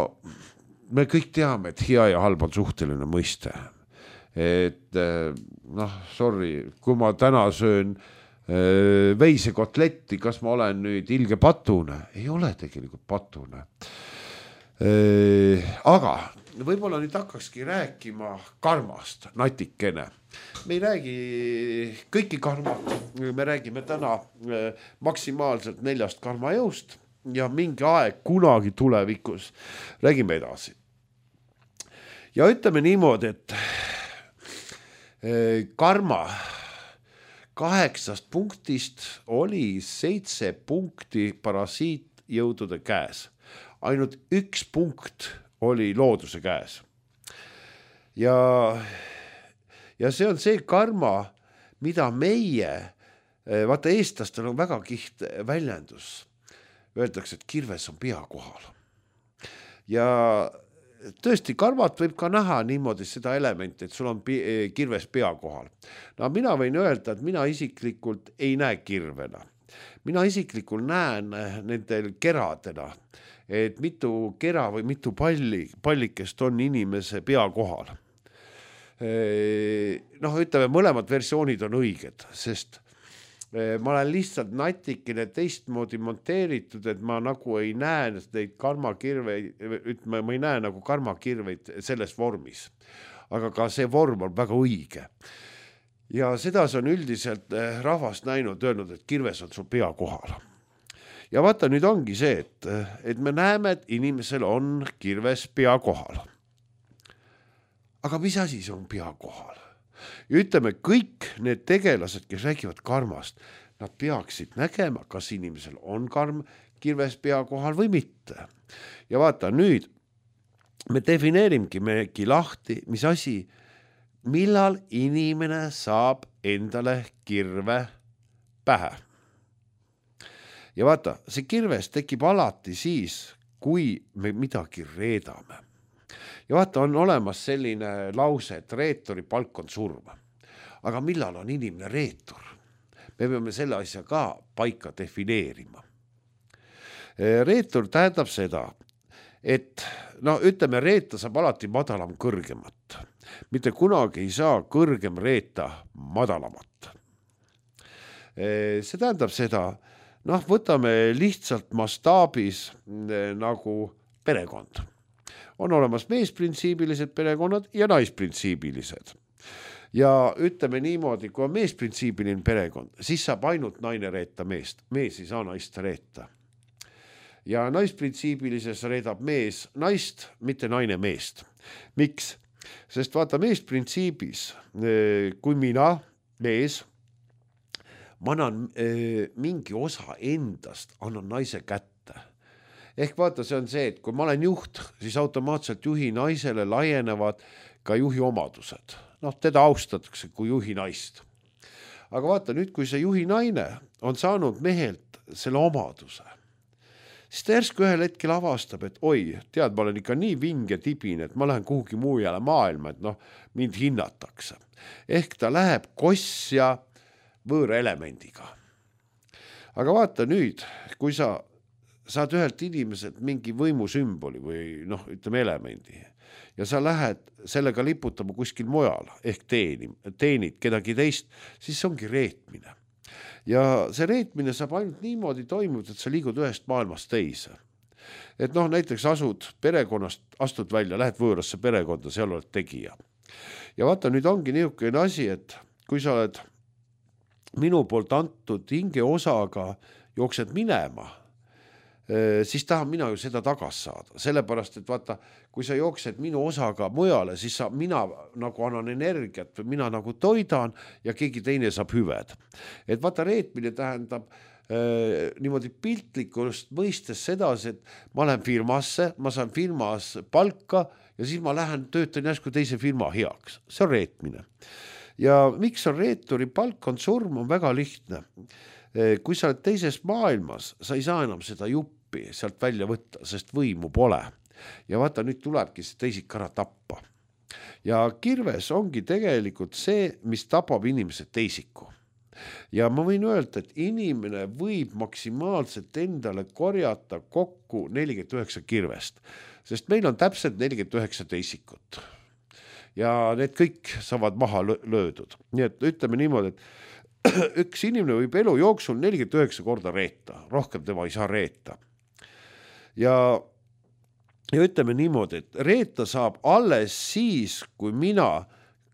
me kõik teame, et hea ja halb on suhteline mõiste. Et noh, sorry, kui ma täna söön veisekotletti, kas ma olen nüüd ilge patune? Ei ole tegelikult patune. Aga võib-olla nüüd hakkakski rääkima karmast natikene. Me ei räägi kõiki karmad, me räägime täna maksimaalselt neljast karmajõust ja mingi aeg kunagi tulevikus räägime edasi. Ja ütleme niimoodi, et karma kaheksast punktist oli seitse punkti parasiitjõudude käes. Ainult üks punkt oli looduse käes. Ja, ja see on see karma, mida meie, vaata eestlastel on väga kiht väljendus. Öeldakse, et kirves on pea kohal. Ja tõesti, karmat võib ka näha niimoodi seda elementi, et sul on kirves pea kohal. No mina võin öelda, et mina isiklikult ei näe kirvena. Mina isiklikult näen nendel keradena, et mitu kera või mitu palli, pallikest on inimese pea kohal. Noh, ütleme, mõlemad versioonid on õiged, sest ma olen lihtsalt natikene teistmoodi monteeritud, et ma nagu ei näe neid karmakirveid, ütleme, ma ei näe nagu karmakirveid selles vormis. Aga ka see vorm on väga õige. Ja seda on üldiselt rahvast näinud, öelnud, et kirves on sul pea kohal. Ja vaata, nüüd ongi see, et, et me näeme, et inimesel on kirves pea kohal. Aga mis asi see on pea kohal? Ja ütleme, kõik need tegelased, kes räägivad karmast, nad peaksid nägema, kas inimesel on karm kirves pea kohal või mitte. Ja vaata, nüüd me defineerimegi megi lahti, mis asi, millal inimene saab endale kirve pähe. Ja vaata, see kirves tekib alati siis, kui me midagi reedame. Ja vaata, on olemas selline lause, et reeturi palk on surm. Aga millal on inimene reetur? Me peame selle asja ka paika defineerima. Reetur tähendab seda, et no ütleme, reeta saab alati madalam kõrgemat. Mitte kunagi ei saa kõrgem reeta madalamat. See tähendab seda, noh, võtame lihtsalt mastaabis nagu perekond. On olemas meesprintsiibilised perekonnad ja naisprintsiibilised. Ja ütleme niimoodi, kui on meesprintsiibiline perekond, siis saab ainult naine reeta meest. Mees ei saa naist reeta. Ja naisprintsiibilises reedab mees naist, mitte naine meest. Miks? Sest vaata, meesprintsiibis, kui mina, mees, ma annan mingi osa endast, annan naise kätte. Ehk vaata, see on see, et kui ma olen juht, siis automaatselt juhi naisele laienevad ka juhi omadused. Noh, teda austatakse kui juhi naist. Aga vaata, nüüd kui see juhi naine on saanud mehelt selle omaduse, siis ta järsku ühel hetkel avastab, et oi, tead, ma olen ikka nii vinge tibine, et ma lähen kuhugi muujale maailma, et noh, mind hinnatakse. Ehk ta läheb kossja võõra elemendiga. Aga vaata nüüd, kui sa saad ühelt inimeselt mingi võimusümboli või noh, ütleme elemendi ja sa lähed sellega liputama kuskil mujal ehk teenid, teenid kedagi teist, siis see ongi reetmine. Ja see reetmine saab ainult niimoodi toimuda, et sa liigud ühest maailmast teise. Et noh, näiteks asud perekonnast, astud välja, lähed võõrasse perekonda, seal oled tegija. Ja vaata, nüüd ongi niisugune asi, et kui sa oled minu poolt antud hinge osaga jooksed minema, siis tahan mina ju seda tagas saada. Sellepärast, et vaata, kui sa jooksed minu osaga mujale, siis sa, mina nagu annan energiat või mina nagu toidan ja keegi teine saab hüved. Et vaata, reetmine tähendab äh, niimoodi piltlikust mõistes sedasi, et ma lähen firmasse, ma saan firmas palka ja siis ma lähen töötan järsku teise firma heaks. See on reetmine. Ja miks on reeturi palk on surm, on väga lihtne. Kui sa oled teises maailmas, sa ei saa enam seda juppi sealt välja võtta, sest võimu pole. Ja vaata, nüüd tulebki see teisik ära tappa. Ja kirves ongi tegelikult see, mis tapab inimese teisiku. Ja ma võin öelda, et inimene võib maksimaalselt endale korjata kokku nelikümmend üheksa kirvest, sest meil on täpselt nelikümmend üheksa teisikut. Ja need kõik saavad maha löödud. Nii et ütleme niimoodi, et üks inimene võib elu jooksul nelikümmend üheksa korda reeta, rohkem tema ei saa reeta. Ja, ja ütleme niimoodi, et reeta saab alles siis, kui mina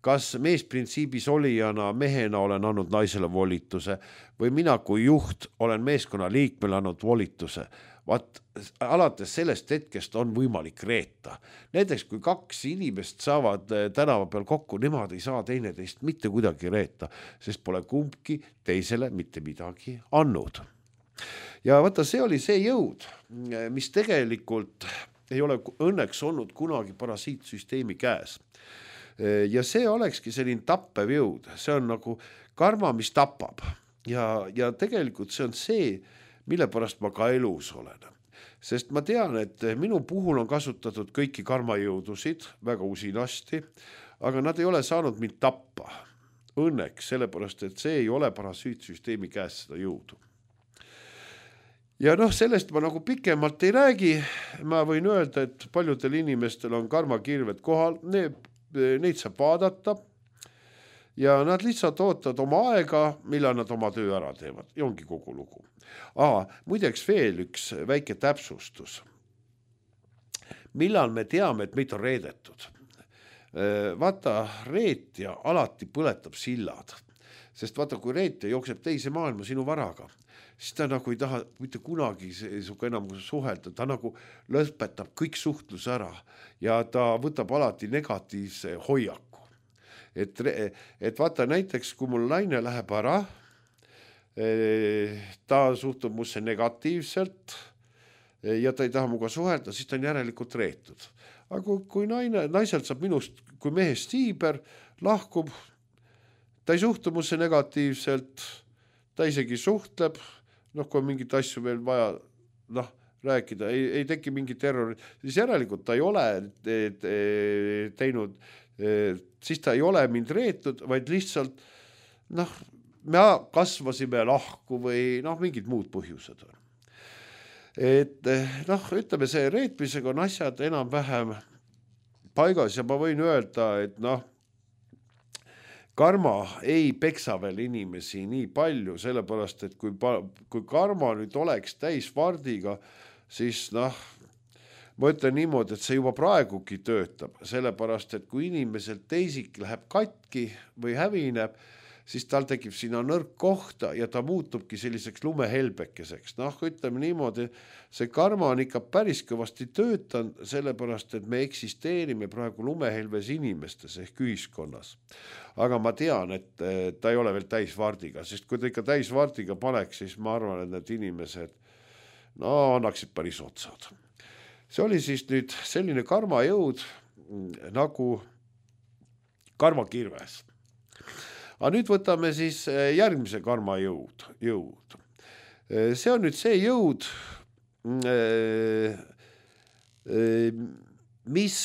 kas meesprintsiibis olijana mehena olen andnud naisele volituse või mina kui juht olen meeskonna liikmele andnud volituse. Vaat alates sellest hetkest on võimalik reeta. Näiteks kui kaks inimest saavad tänava peal kokku, nemad ei saa teineteist mitte kuidagi reeta, sest pole kumbki teisele mitte midagi andnud. Ja vaata, see oli see jõud, mis tegelikult ei ole õnneks olnud kunagi parasiitsüsteemi käes. Ja see olekski selline tappev jõud, see on nagu karma, mis tapab ja, ja tegelikult see on see, mille pärast ma ka elus olen. Sest ma tean, et minu puhul on kasutatud kõiki karmajõudusid väga usinasti, aga nad ei ole saanud mind tappa. Õnneks, sellepärast, et see ei ole parasiitsüsteemi käes seda jõudu. Ja noh, sellest ma nagu pikemalt ei räägi. Ma võin öelda, et paljudel inimestel on karmakirved kohal, need neid saab vaadata ja nad lihtsalt ootavad oma aega, millal nad oma töö ära teevad. Ja ongi kogu lugu. Aa, muideks veel üks väike täpsustus. Millal me teame, et meid on reedetud? Vaata, reetja alati põletab sillad. Sest vaata, kui reetja jookseb teise maailma sinu varaga, siis ta nagu ei taha mitte kunagi suga enam suhelda, ta nagu lõpetab kõik suhtlus ära ja ta võtab alati negatiivse hoiaku. Et, et vaata näiteks, kui mul naine läheb ära, ta suhtub musse negatiivselt ja ta ei taha muga suhelda, siis ta on järelikult reetud. Aga kui naine, naiselt saab minust, kui mehest siiber, lahkub, ta ei suhtu musse negatiivselt, ta isegi suhtleb, noh, kui on mingit asju veel vaja noh, rääkida, ei, ei teki mingi terror, siis järelikult ta ei ole teinud, siis ta ei ole mind reetud, vaid lihtsalt noh, me kasvasime lahku või noh, mingid muud põhjused. Et noh, ütleme, see reetmisega on asjad enam vähem paigas ja ma võin öelda, et noh, karma ei peksa veel inimesi nii palju, sellepärast, et kui, kui karma nüüd oleks täis vardiga, siis noh, ma ütlen niimoodi, et see juba praegugi töötab, sellepärast, et kui inimesel teisik läheb katki või hävineb, siis tal tekib sinna nõrk kohta ja ta muutubki selliseks lumehelbekeseks. Noh, ütleme niimoodi, see karma on ikka päris kõvasti töötanud, sellepärast, et me eksisteerime praegu lumehelves inimestes ehk ühiskonnas. Aga ma tean, et ta ei ole veel täisvardiga, sest kui ta ikka täisvardiga paneks, siis ma arvan, et need inimesed no, annaksid päris otsad. See oli siis nüüd selline karmajõud nagu karmakirves. Aga nüüd võtame siis järgmise karmajõud. Jõud. See on nüüd see jõud, mis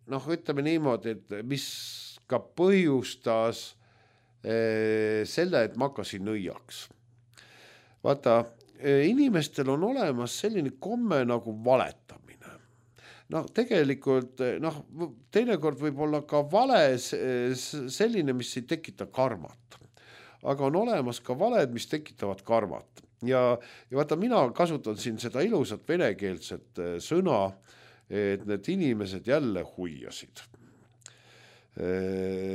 noh, ütleme niimoodi, et mis ka põhjustas selle, et ma hakkasin nõiaks. Vaata, inimestel on olemas selline komme nagu valetamine. No tegelikult, noh, teinekord võib olla ka vale selline, mis ei tekita karmat. Aga on olemas ka valed, mis tekitavad karmat. Ja, ja vaata, mina kasutan siin seda ilusat venekeelset sõna, et need inimesed jälle huiasid.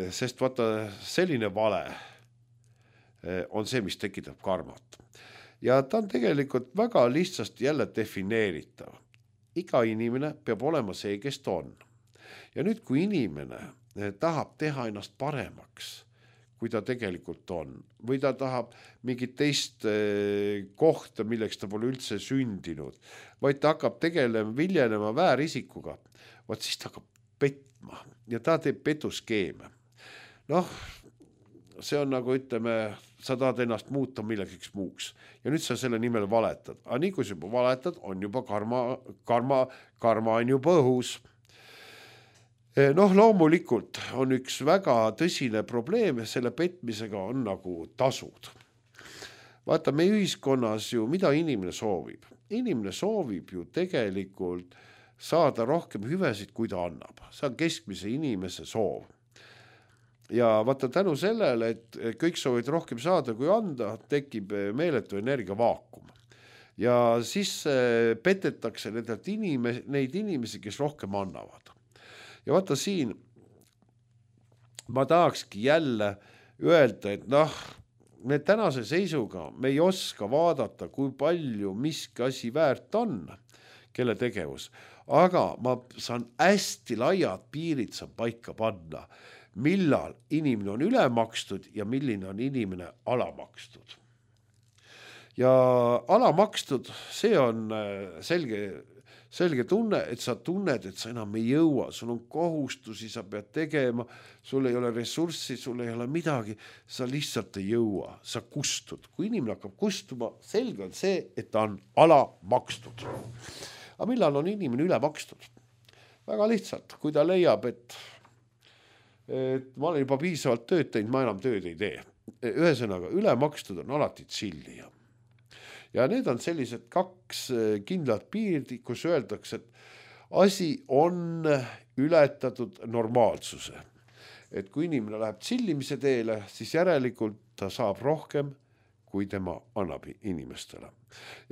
Sest vaata, selline vale on see, mis tekitab karmat. Ja ta on tegelikult väga lihtsasti jälle defineeritav. Iga inimene peab olema see, kes ta on. Ja nüüd, kui inimene tahab teha ennast paremaks, kui ta tegelikult on, või ta tahab mingit teist kohta, milleks ta pole üldse sündinud, vaid ta hakkab tegelema, viljelema väärisikuga, vaat siis ta hakkab petma ja ta teeb petuskeeme. Noh, see on nagu, ütleme, sa tahad ennast muuta millegeks muuks ja nüüd sa selle nimel valetad. Aga nii kui sa juba valetad, on juba karma, karma, karma on juba õhus. Noh, loomulikult on üks väga tõsine probleem, selle petmisega on nagu tasud. Vaata, meie ühiskonnas ju, mida inimene soovib? Inimene soovib ju tegelikult saada rohkem hüvesid, kui ta annab. See on keskmise inimese soov. ja vaata tänu sellele, et kõik soovid rohkem saada kui anda, tekib meeletu energiavaakum. Ja siis petetakse nendelt inimes, neid inimesi, kes rohkem annavad. Ja vaata siin, ma tahakski jälle öelda, et noh, me tänase seisuga me ei oska vaadata, kui palju miski asi väärt on, kelle tegevus. Aga ma saan hästi laiad piirid saan paika panna, millal inimene on ülemakstud ja milline on inimene alamakstud. Ja alamakstud, see on selge, selge tunne, et sa tunned, et sa enam ei jõua, sul on kohustusi, sa pead tegema, sul ei ole ressurssi, sul ei ole midagi, sa lihtsalt ei jõua, sa kustud. Kui inimene hakkab kustuma, selge on see, et ta on alamakstud. Aga millal on inimene ülemakstud? Väga lihtsalt, kui ta leiab, et, et ma olen juba piisavalt tööd teinud, ma enam tööd ei tee. Ühesõnaga, ülemakstud on alati tšillija. Ja need on sellised kaks kindlat piirdi, kus öeldakse, et asi on ületatud normaalsuse. Et kui inimene läheb tsillimise teele, siis järelikult ta saab rohkem, kui tema annab inimestele.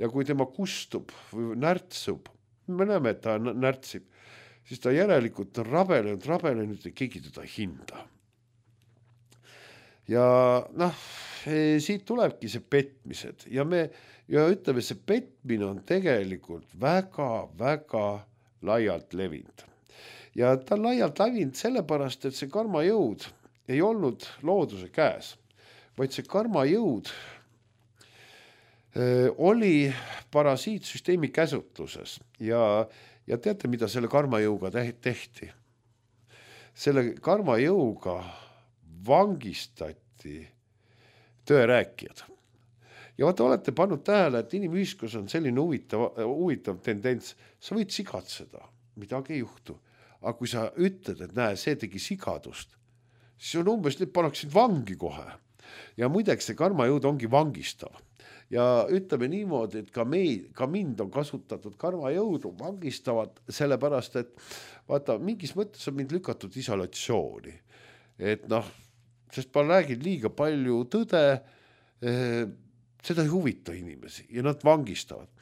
Ja kui tema kustub või närtsub, me näeme, et ta närtsib, siis ta järelikult on rabelenud, rabelenud ja keegi teda hinda. Ja noh, siit tulebki see petmised ja me ja ütleme, see petmine on tegelikult väga, väga laialt levinud. Ja ta on laialt levinud sellepärast, et see karmajõud ei olnud looduse käes, vaid see karmajõud oli parasiitsüsteemi käsutluses ja, ja teate, mida selle karmajõuga tehti? Selle karmajõuga vangistati tõerääkijad. Ja vaata, olete pannud tähele, et inimühiskus on selline huvitav, huvitav tendents. Sa võid sigatseda, midagi ei juhtu. Aga kui sa ütled, et näe, see tegi sigadust, siis on umbes, nüüd paneksid vangi kohe. Ja muideks see karmajõud ongi vangistav. Ja ütleme niimoodi, et ka, meid, ka mind on kasutatud karmajõudu vangistavad, sellepärast, et vaata, mingis mõttes on mind lükatud isolatsiooni. Et noh, sest ma räägin liiga palju tõde, eh, seda ei huvita inimesi ja nad vangistavad.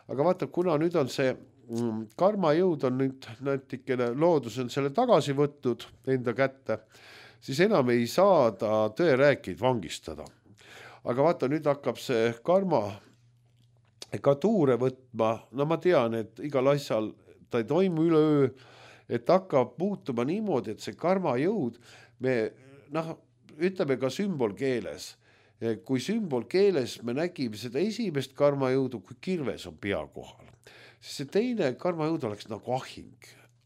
Aga vaata, kuna nüüd on see mm, karmajõud on nüüd näitikene loodus on selle tagasi võtnud enda kätte, siis enam ei saa ta tõerääkijaid vangistada. Aga vaata, nüüd hakkab see karma ka tuure võtma, no ma tean, et igal asjal ta ei toimu üleöö, et hakkab muutuma niimoodi, et see karmajõud, me noh, ütleme ka sümbolkeeles, kui sümbolkeeles me nägime seda esimest karmajõudu, kui kirves on pea kohal. Siis see teine karmajõud oleks nagu ahing.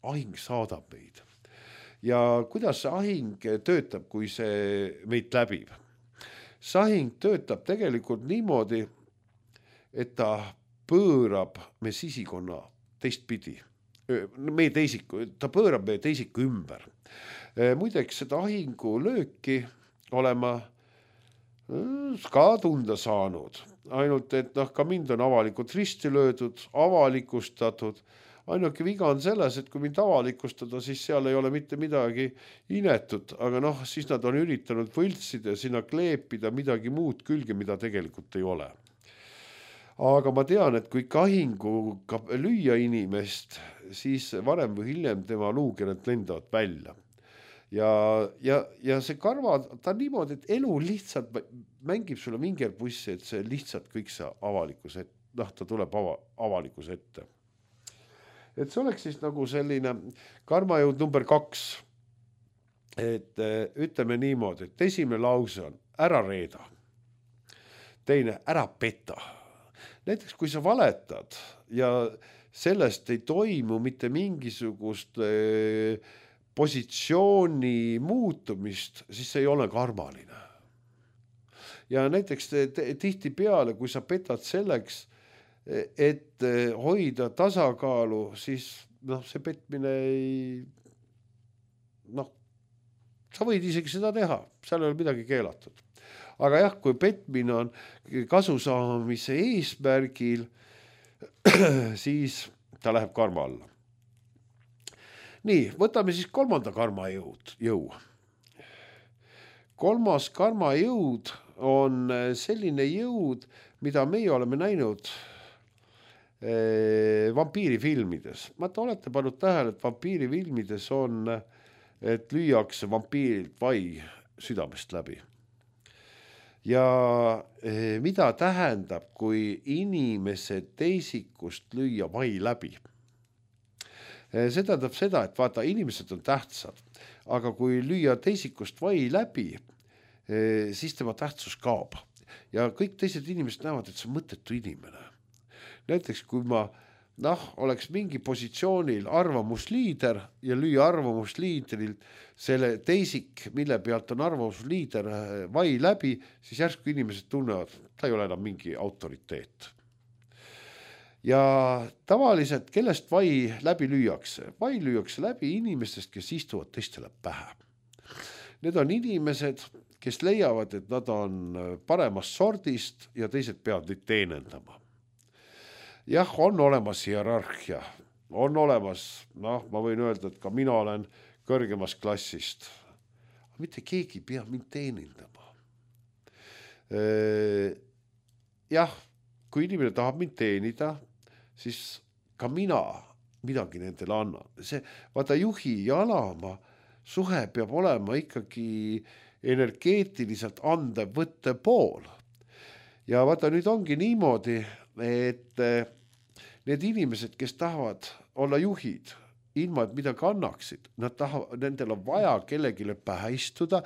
Ahing saadab meid. Ja kuidas see ahing töötab, kui see meid läbib? See ahing töötab tegelikult niimoodi, et ta pöörab me sisikonna teistpidi. Meie teisiku, ta pöörab meie teisiku ümber. Muideks seda ahingu lööki olema ka tunda saanud, ainult et noh, ka mind on avalikult risti löödud, avalikustatud, ainuke viga on selles, et kui mind avalikustada, siis seal ei ole mitte midagi inetut, aga noh, siis nad on üritanud võltsida ja sinna kleepida midagi muud külge, mida tegelikult ei ole. Aga ma tean, et kui kahinguga lüüa inimest, siis varem või hiljem tema luukered lendavad välja. Ja, ja, ja see karva, ta on niimoodi, et elu lihtsalt mängib sulle mingi pussi, et see lihtsalt kõik see avalikus ette, noh, ta tuleb ava, avalikus ette. Et see oleks siis nagu selline karmajõud number kaks. Et ütleme niimoodi, et esimene lause on ära reeda. Teine, ära peta. Näiteks kui sa valetad ja sellest ei toimu mitte mingisugust positsiooni muutumist, siis see ei ole karmaline. Ja näiteks tihti peale, kui sa petad selleks, et hoida tasakaalu, siis noh, see petmine ei, noh, sa võid isegi seda teha, seal ei ole midagi keelatud. Aga jah, kui petmine on kasu saamise eesmärgil, siis ta läheb karma alla. Nii, võtame siis kolmanda karma jõud, jõu. kolmas karmajõud on selline jõud, mida meie oleme näinud vampiirifilmides. Ma te olete pannud tähele, et vampiirifilmides on, et lüüakse vampiirilt vai südamest läbi. Ja mida tähendab, kui inimese teisikust lüüa vai läbi? See tähendab seda, et vaata, inimesed on tähtsad, aga kui lüüa teisikust vai läbi, siis tema tähtsus kaob. Ja kõik teised inimesed näevad, et see on mõttetu inimene. Näiteks kui ma noh, oleks mingi positsioonil arvamusliider ja lüüa arvamusliidril selle teisik, mille pealt on arvamusliider vai läbi, siis järsku inimesed tunnevad, ta ei ole enam mingi autoriteet. Ja tavaliselt, kellest vai läbi lüüakse? Vai lüüakse läbi inimestest, kes istuvad teistele pähe. Need on inimesed, kes leiavad, et nad on paremast sordist ja teised peavad neid teenendama. Jah, on olemas hierarhia, on olemas, noh, ma võin öelda, et ka mina olen kõrgemast klassist. Mitte keegi ei pea mind teenindama. Jah, kui inimene tahab mind teenida, siis ka mina midagi nendele annan. See, vaata, juhi ja alama suhe peab olema ikkagi energeetiliselt andev võtte pool. Ja vaata, nüüd ongi niimoodi, et need inimesed, kes tahavad olla juhid, ilma et midagi annaksid, nad tahavad, nendel on vaja kellegile pähe istuda,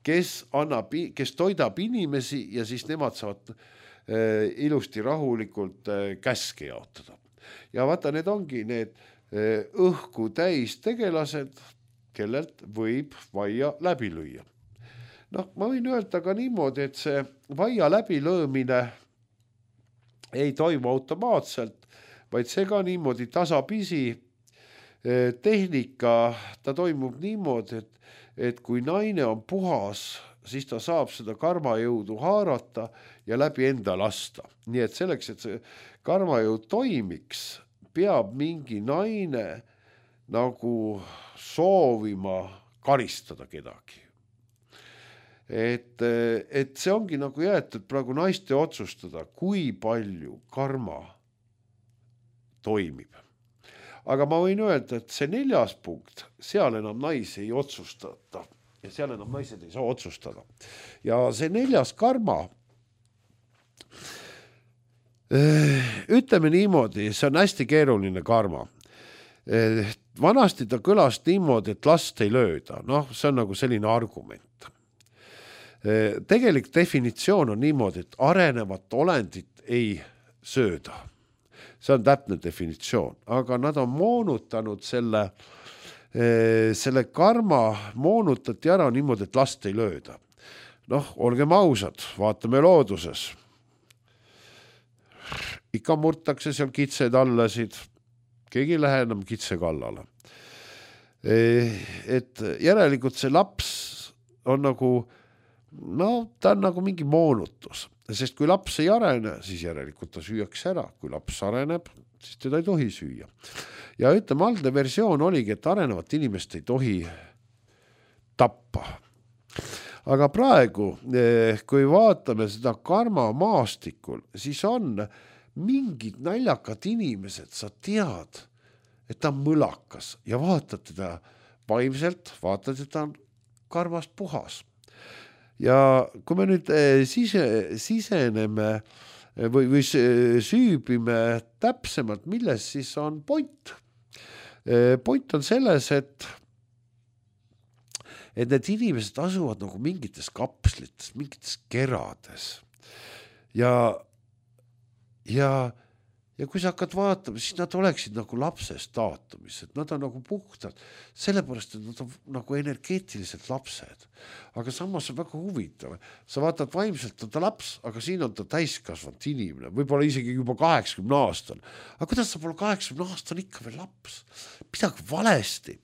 kes, annab, kes toidab inimesi ja siis nemad saavad äh, ilusti rahulikult äh, käske jaotada. Ja vaata, need ongi need äh, õhku täis tegelased, kellelt võib vaia läbi lüüa. Noh, ma võin öelda ka niimoodi, et see vaia läbilöömine ei toimu automaatselt, vaid see ka niimoodi tasapisi tehnika, ta toimub niimoodi, et, et kui naine on puhas, siis ta saab seda karmajõudu haarata ja läbi enda lasta. Nii et selleks, et see karmajõud toimiks, peab mingi naine nagu soovima karistada kedagi. Et, et see ongi nagu jäetud praegu naiste otsustada, kui palju karma toimib. Aga ma võin öelda, et see neljas punkt, seal enam naisi ei otsustata ja seal enam naised ei saa otsustada. Ja see neljas karma, ütleme niimoodi, see on hästi keeruline karma. Vanasti ta kõlas niimoodi, et last ei lööda. Noh, see on nagu selline argument. Tegelik definitsioon on niimoodi, et arenevat olendit ei sööda. See on täpne definitsioon, aga nad on moonutanud selle, selle karma moonutati ära niimoodi, et last ei lööda. Noh, olgem ausad, vaatame looduses. Ikka murtakse seal kitsed allasid, keegi ei lähe enam kitse kallale. Et järelikult see laps on nagu no ta on nagu mingi moonutus, sest kui laps ei arene, siis järelikult ta süüakse ära. Kui laps areneb, siis teda ei tohi süüa. Ja ütleme, algne versioon oligi, et arenevat inimest ei tohi tappa. Aga praegu, kui vaatame seda karma maastikul, siis on mingid naljakad inimesed, sa tead, et ta on mõlakas ja vaatad teda vaimselt, vaatad, et ta on karmast puhas. Ja kui me nüüd sise, siseneme või, või süübime täpsemalt, milles siis on point. Point on selles, et, et need inimesed asuvad nagu mingites kapslites, mingites kerades. Ja, ja, ja kui sa hakkad vaatama, siis nad oleksid nagu lapse staatumis, et nad on nagu puhtad, sellepärast, et nad on nagu energeetiliselt lapsed. Aga samas on väga huvitav. Sa vaatad vaimselt on ta laps, aga siin on ta täiskasvanud inimene, võib-olla isegi juba kaheksakümne aastal. Aga kuidas sa pole kaheksakümne aastal ikka veel laps? Midagi valesti.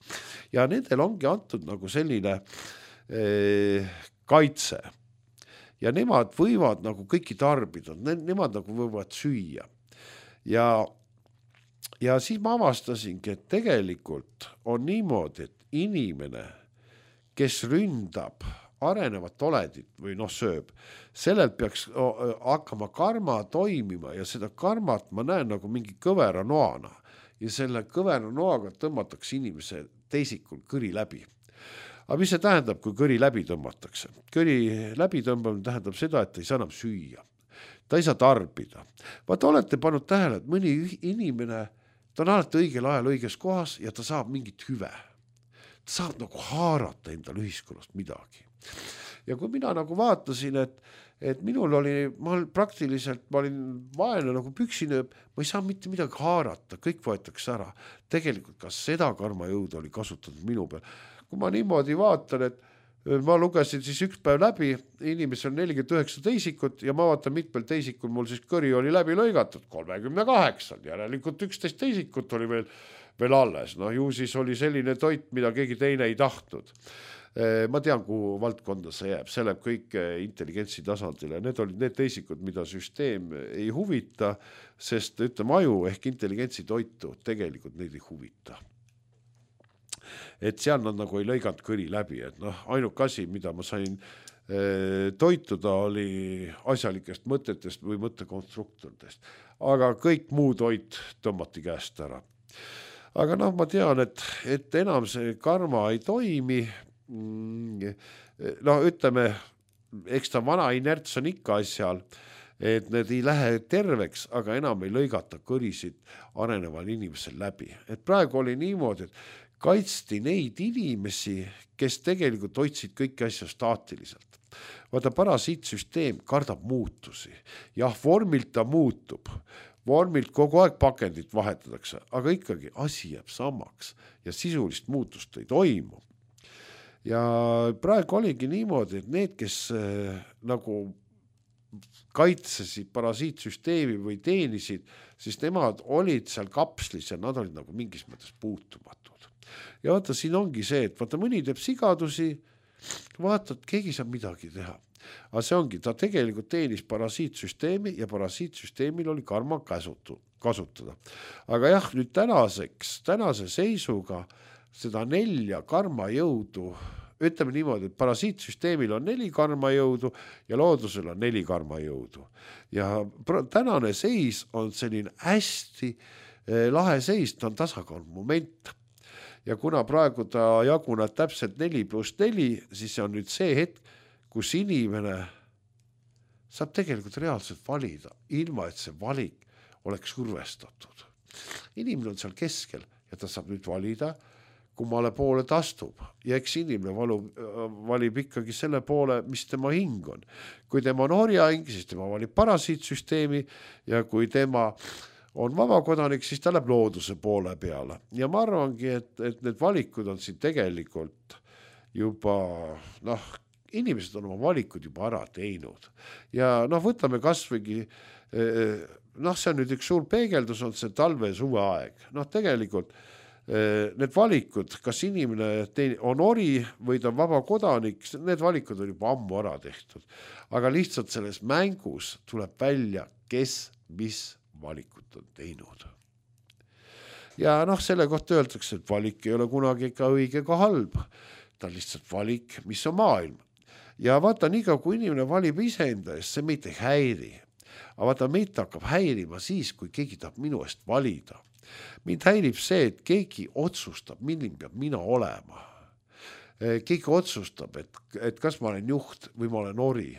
Ja nendel ongi antud nagu selline eh, kaitse. Ja nemad võivad nagu kõiki tarbida, nemad nagu võivad süüa. Ja, ja siis ma avastasingi, et tegelikult on niimoodi, et inimene, kes ründab arenevat olendit või noh sööb, sellelt peaks hakkama karma toimima ja seda karmat ma näen nagu mingi kõvera noana ja selle kõvera noaga tõmmatakse inimese teisikul kõri läbi. Aga mis see tähendab, kui kõri läbi tõmmatakse? Kõri läbi tõmbamine tähendab seda, et ta ei saa enam süüa. Ta ei saa tarbida. Vaata, olete pannud tähele, et mõni inimene, ta on alati õigel ajal õiges kohas ja ta saab mingit hüve. Ta saab nagu haarata endal ühiskonnast midagi. Ja kui mina nagu vaatasin, et, et minul oli, ma praktiliselt, ma olin vaene nagu püksinööb, ma ei saa mitte midagi haarata, kõik võetakse ära. Tegelikult ka seda karmajõudu oli kasutatud minu peal. Kui ma niimoodi vaatan, et ma lugesin siis üks päev läbi, inimesel on nelikümmend üheksa teisikut ja ma vaatan mitmel teisikul, mul siis kõri oli läbi lõigatud, kolmekümne kaheksa, järelikult üksteist teisikut oli veel, veel alles. No ju siis oli selline toit, mida keegi teine ei tahtnud. Ma tean, kuhu valdkonda see jääb, see läheb kõik intelligentsi tasandile. Need olid need teisikud, mida süsteem ei huvita, sest ütleme aju ehk intelligentsi toitu tegelikult neid ei huvita. Et seal nad nagu ei lõiganud kõri läbi, et noh, ainuk asi, mida ma sain e, toituda, oli asjalikest mõtetest või mõttekonstruktoritest. Aga kõik muu toit tõmmati käest ära. Aga noh, ma tean, et, et enam see karma ei toimi. No ütleme, eks ta vana inerts on ikka asjal, et need ei lähe terveks, aga enam ei lõigata kõrisid areneval inimesel läbi. Et praegu oli niimoodi, et kaitsti neid inimesi, kes tegelikult hoidsid kõiki asja staatiliselt. Vaata, parasiitsüsteem kardab muutusi. Jah, vormilt ta muutub. Vormilt kogu aeg pakendit vahetatakse, aga ikkagi asi jääb samaks ja sisulist muutust ei toimu. Ja praegu oligi niimoodi, et need, kes äh, nagu kaitsesid parasiitsüsteemi või teenisid, siis nemad olid seal kapslis ja nad olid nagu mingis mõttes puutumatud. Ja vaata, siin ongi see, et vaata, mõni teeb sigadusi, vaata, et keegi saab midagi teha. Aga see ongi, ta tegelikult teenis parasiitsüsteemi ja parasiitsüsteemil oli karma käsutu, kasutada. Aga jah, nüüd tänaseks, tänase seisuga seda nelja karmajõudu, ütleme niimoodi, et parasiitsüsteemil on neli karmajõudu ja loodusel on neli karmajõudu. Ja tänane seis on selline hästi lahe seis, ta on tasakaal moment. Ja kuna praegu ta jaguneb täpselt neli pluss neli, siis see on nüüd see hetk, kus inimene saab tegelikult reaalselt valida, ilma et see valik oleks survestatud. Inimene on seal keskel ja ta saab nüüd valida, kummale poole ta astub. Ja eks inimene valub, valib ikkagi selle poole, mis tema hing on. Kui tema on orjahing, siis tema valib parasiitsüsteemi ja kui tema on vabakodanik, siis ta läheb looduse poole peale. Ja ma arvangi, et, et need valikud on siin tegelikult juba, noh, inimesed on oma valikud juba ära teinud. Ja noh, võtame kasvõigi, noh, see on nüüd üks suur peegeldus, on see talve ja suve aeg. Noh, tegelikult need valikud, kas inimene on ori või ta on vaba kodanik, need valikud on juba ammu ära tehtud. Aga lihtsalt selles mängus tuleb välja, kes mis valikut on teinud. Ja noh, selle kohta öeldakse, et valik ei ole kunagi ka õige ka halb. Ta on lihtsalt valik, mis on maailm. Ja vaata, nii ka kui inimene valib iseenda eest, see meid ei häiri. Aga vaata, meid hakkab häirima siis, kui keegi tahab minu eest valida. Mind häirib see, et keegi otsustab, milline peab mina olema. Keegi otsustab, et, et kas ma olen juht või ma olen ori.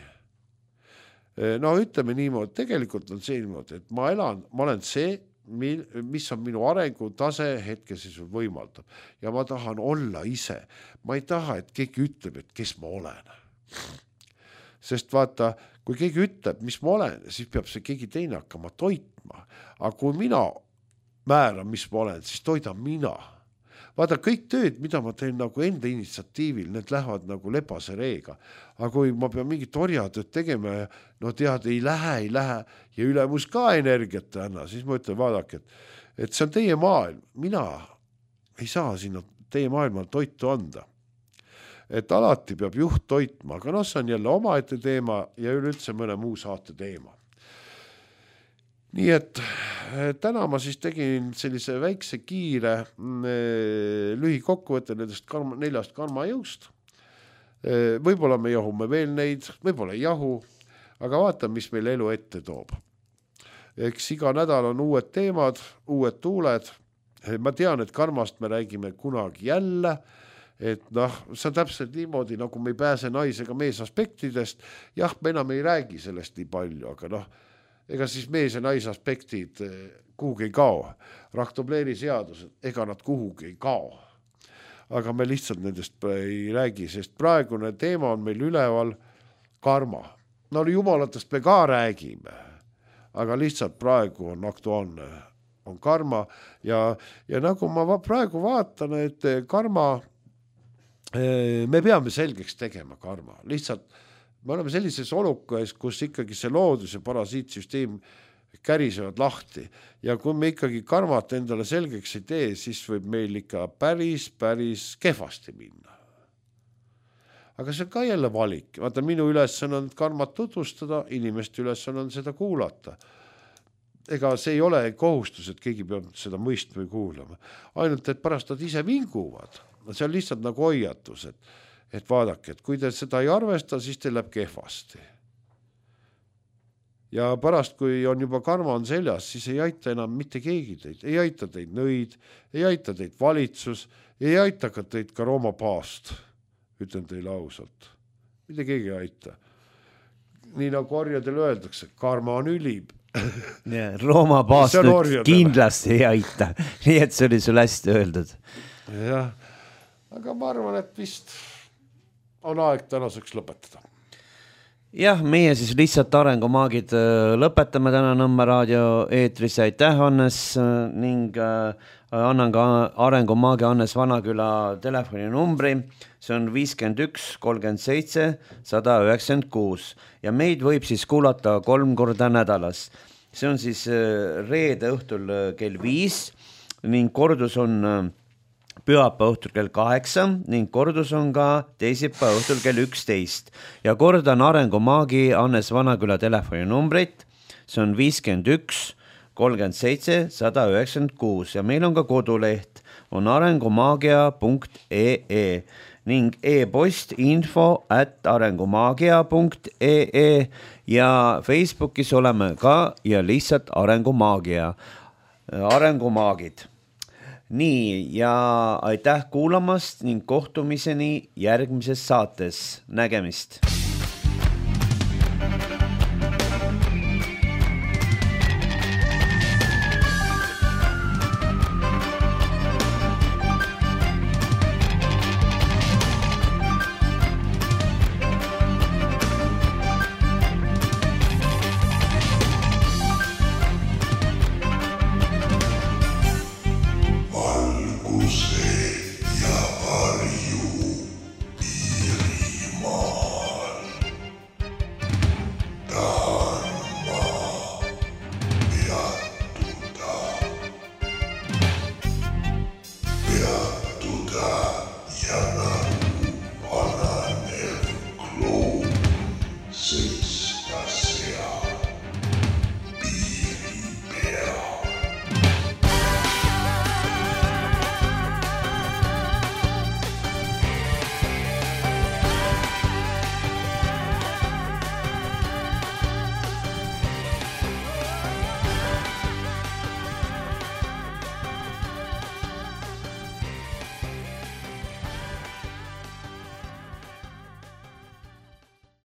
No ütleme niimoodi, tegelikult on see niimoodi, et ma elan, ma olen see, mis on minu arengu tase hetkeseisus võimaldab. Ja ma tahan olla ise. Ma ei taha, et keegi ütleb, et kes ma olen. Sest vaata, kui keegi ütleb, mis ma olen, siis peab see keegi teine hakkama toitma. Aga kui mina määran, mis ma olen, siis toidan mina. Vaata, kõik tööd, mida ma teen nagu enda initsiatiivil, need lähevad nagu lepase reega. Aga kui ma pean mingit orjatööd tegema, no tead, ei lähe, ei lähe, ja ülemus ka energiat anna, siis ma ütlen, vaadake, et, et see on teie maailm. Mina ei saa sinna teie maailmal toitu anda. Et alati peab juht toitma, aga noh, see on jälle omaette teema ja üleüldse mõne muu saate teema. Nii et täna ma siis tegin sellise väikse kiire lühikokkuvõtte nendest karma, neljast karmajõust. võib-olla me jahume veel neid, võib-olla ei jahu, aga vaata, mis meil elu ette toob. Eks iga nädal on uued teemad, uued tuuled. Ma tean, et karmast me räägime kunagi jälle, et noh, see on täpselt niimoodi, nagu me ei pääse naisega mees aspektidest. Jah, me enam ei räägi sellest nii palju, aga noh, ega siis mees ja naise aspektid kuhugi ei kao. Rahtobleeri seadused, ega nad kuhugi ei kao. Aga me lihtsalt nendest ei räägi, sest praegune teema on meil üleval karma. No jumalatest me ka räägime, aga lihtsalt praegu on aktuaalne, on karma ja, ja nagu ma praegu vaatan, et karma, me peame selgeks tegema karma. Lihtsalt me oleme sellises olukas, kus ikkagi see loodus ja parasiitsüsteem kärisevad lahti ja kui me ikkagi karmat endale selgeks ei tee, siis võib meil ikka päris, päris kehvasti minna. Aga see on ka jälle valik. Vaata, minu ülesanne on karmat tutvustada, inimeste ülesanne on seda kuulata. Ega see ei ole kohustus, et keegi peab seda mõistma või kuulama. Ainult, et pärast nad ise vinguvad. See on lihtsalt nagu hoiatus, et, et vaadake, et kui te seda ei arvesta, siis teil läheb kehvasti. Ja pärast, kui on juba karma on seljas, siis ei aita enam mitte keegi teid. Ei aita teid nõid, ei aita teid valitsus, ei aita ka teid ka Rooma paast. Ütlen teile ausalt. Mitte keegi ei aita. Nii nagu orjadel öeldakse, karma on ülib. Ja, Rooma paast nüüd kindlasti ei aita. Nii et see oli sul hästi öeldud. Jah, aga ma arvan, et vist on aeg tänaseks lõpetada. Jah, meie siis lihtsalt arengumaagid lõpetame täna Nõmme raadio eetris. Aitäh, Hannes, ning annan ka arengumaagi Hannes Vanaküla telefoninumbri. See on viiskümmend üks kolmkümmend seitse sada üheksakümmend kuus ja meid võib siis kuulata kolm korda nädalas. See on siis reede õhtul kell viis ning kordus on pühapäeva õhtul kell kaheksa ning kordus on ka teisipäeva õhtul kell üksteist. Ja kordan arengumaagi Hannes Vanaküla telefoninumbrit. See on viiskümmend üks kolmkümmend seitse sada üheksakümmend kuus ja meil on ka koduleht, on arengumaagia punkt ee ning e-post info at arengumaagia punkt ee ja Facebookis oleme ka ja lihtsalt arengumaagia, arengumaagid. Nii, ja aitäh kuulamast ning kohtumiseni järgmises saates. Nägemist!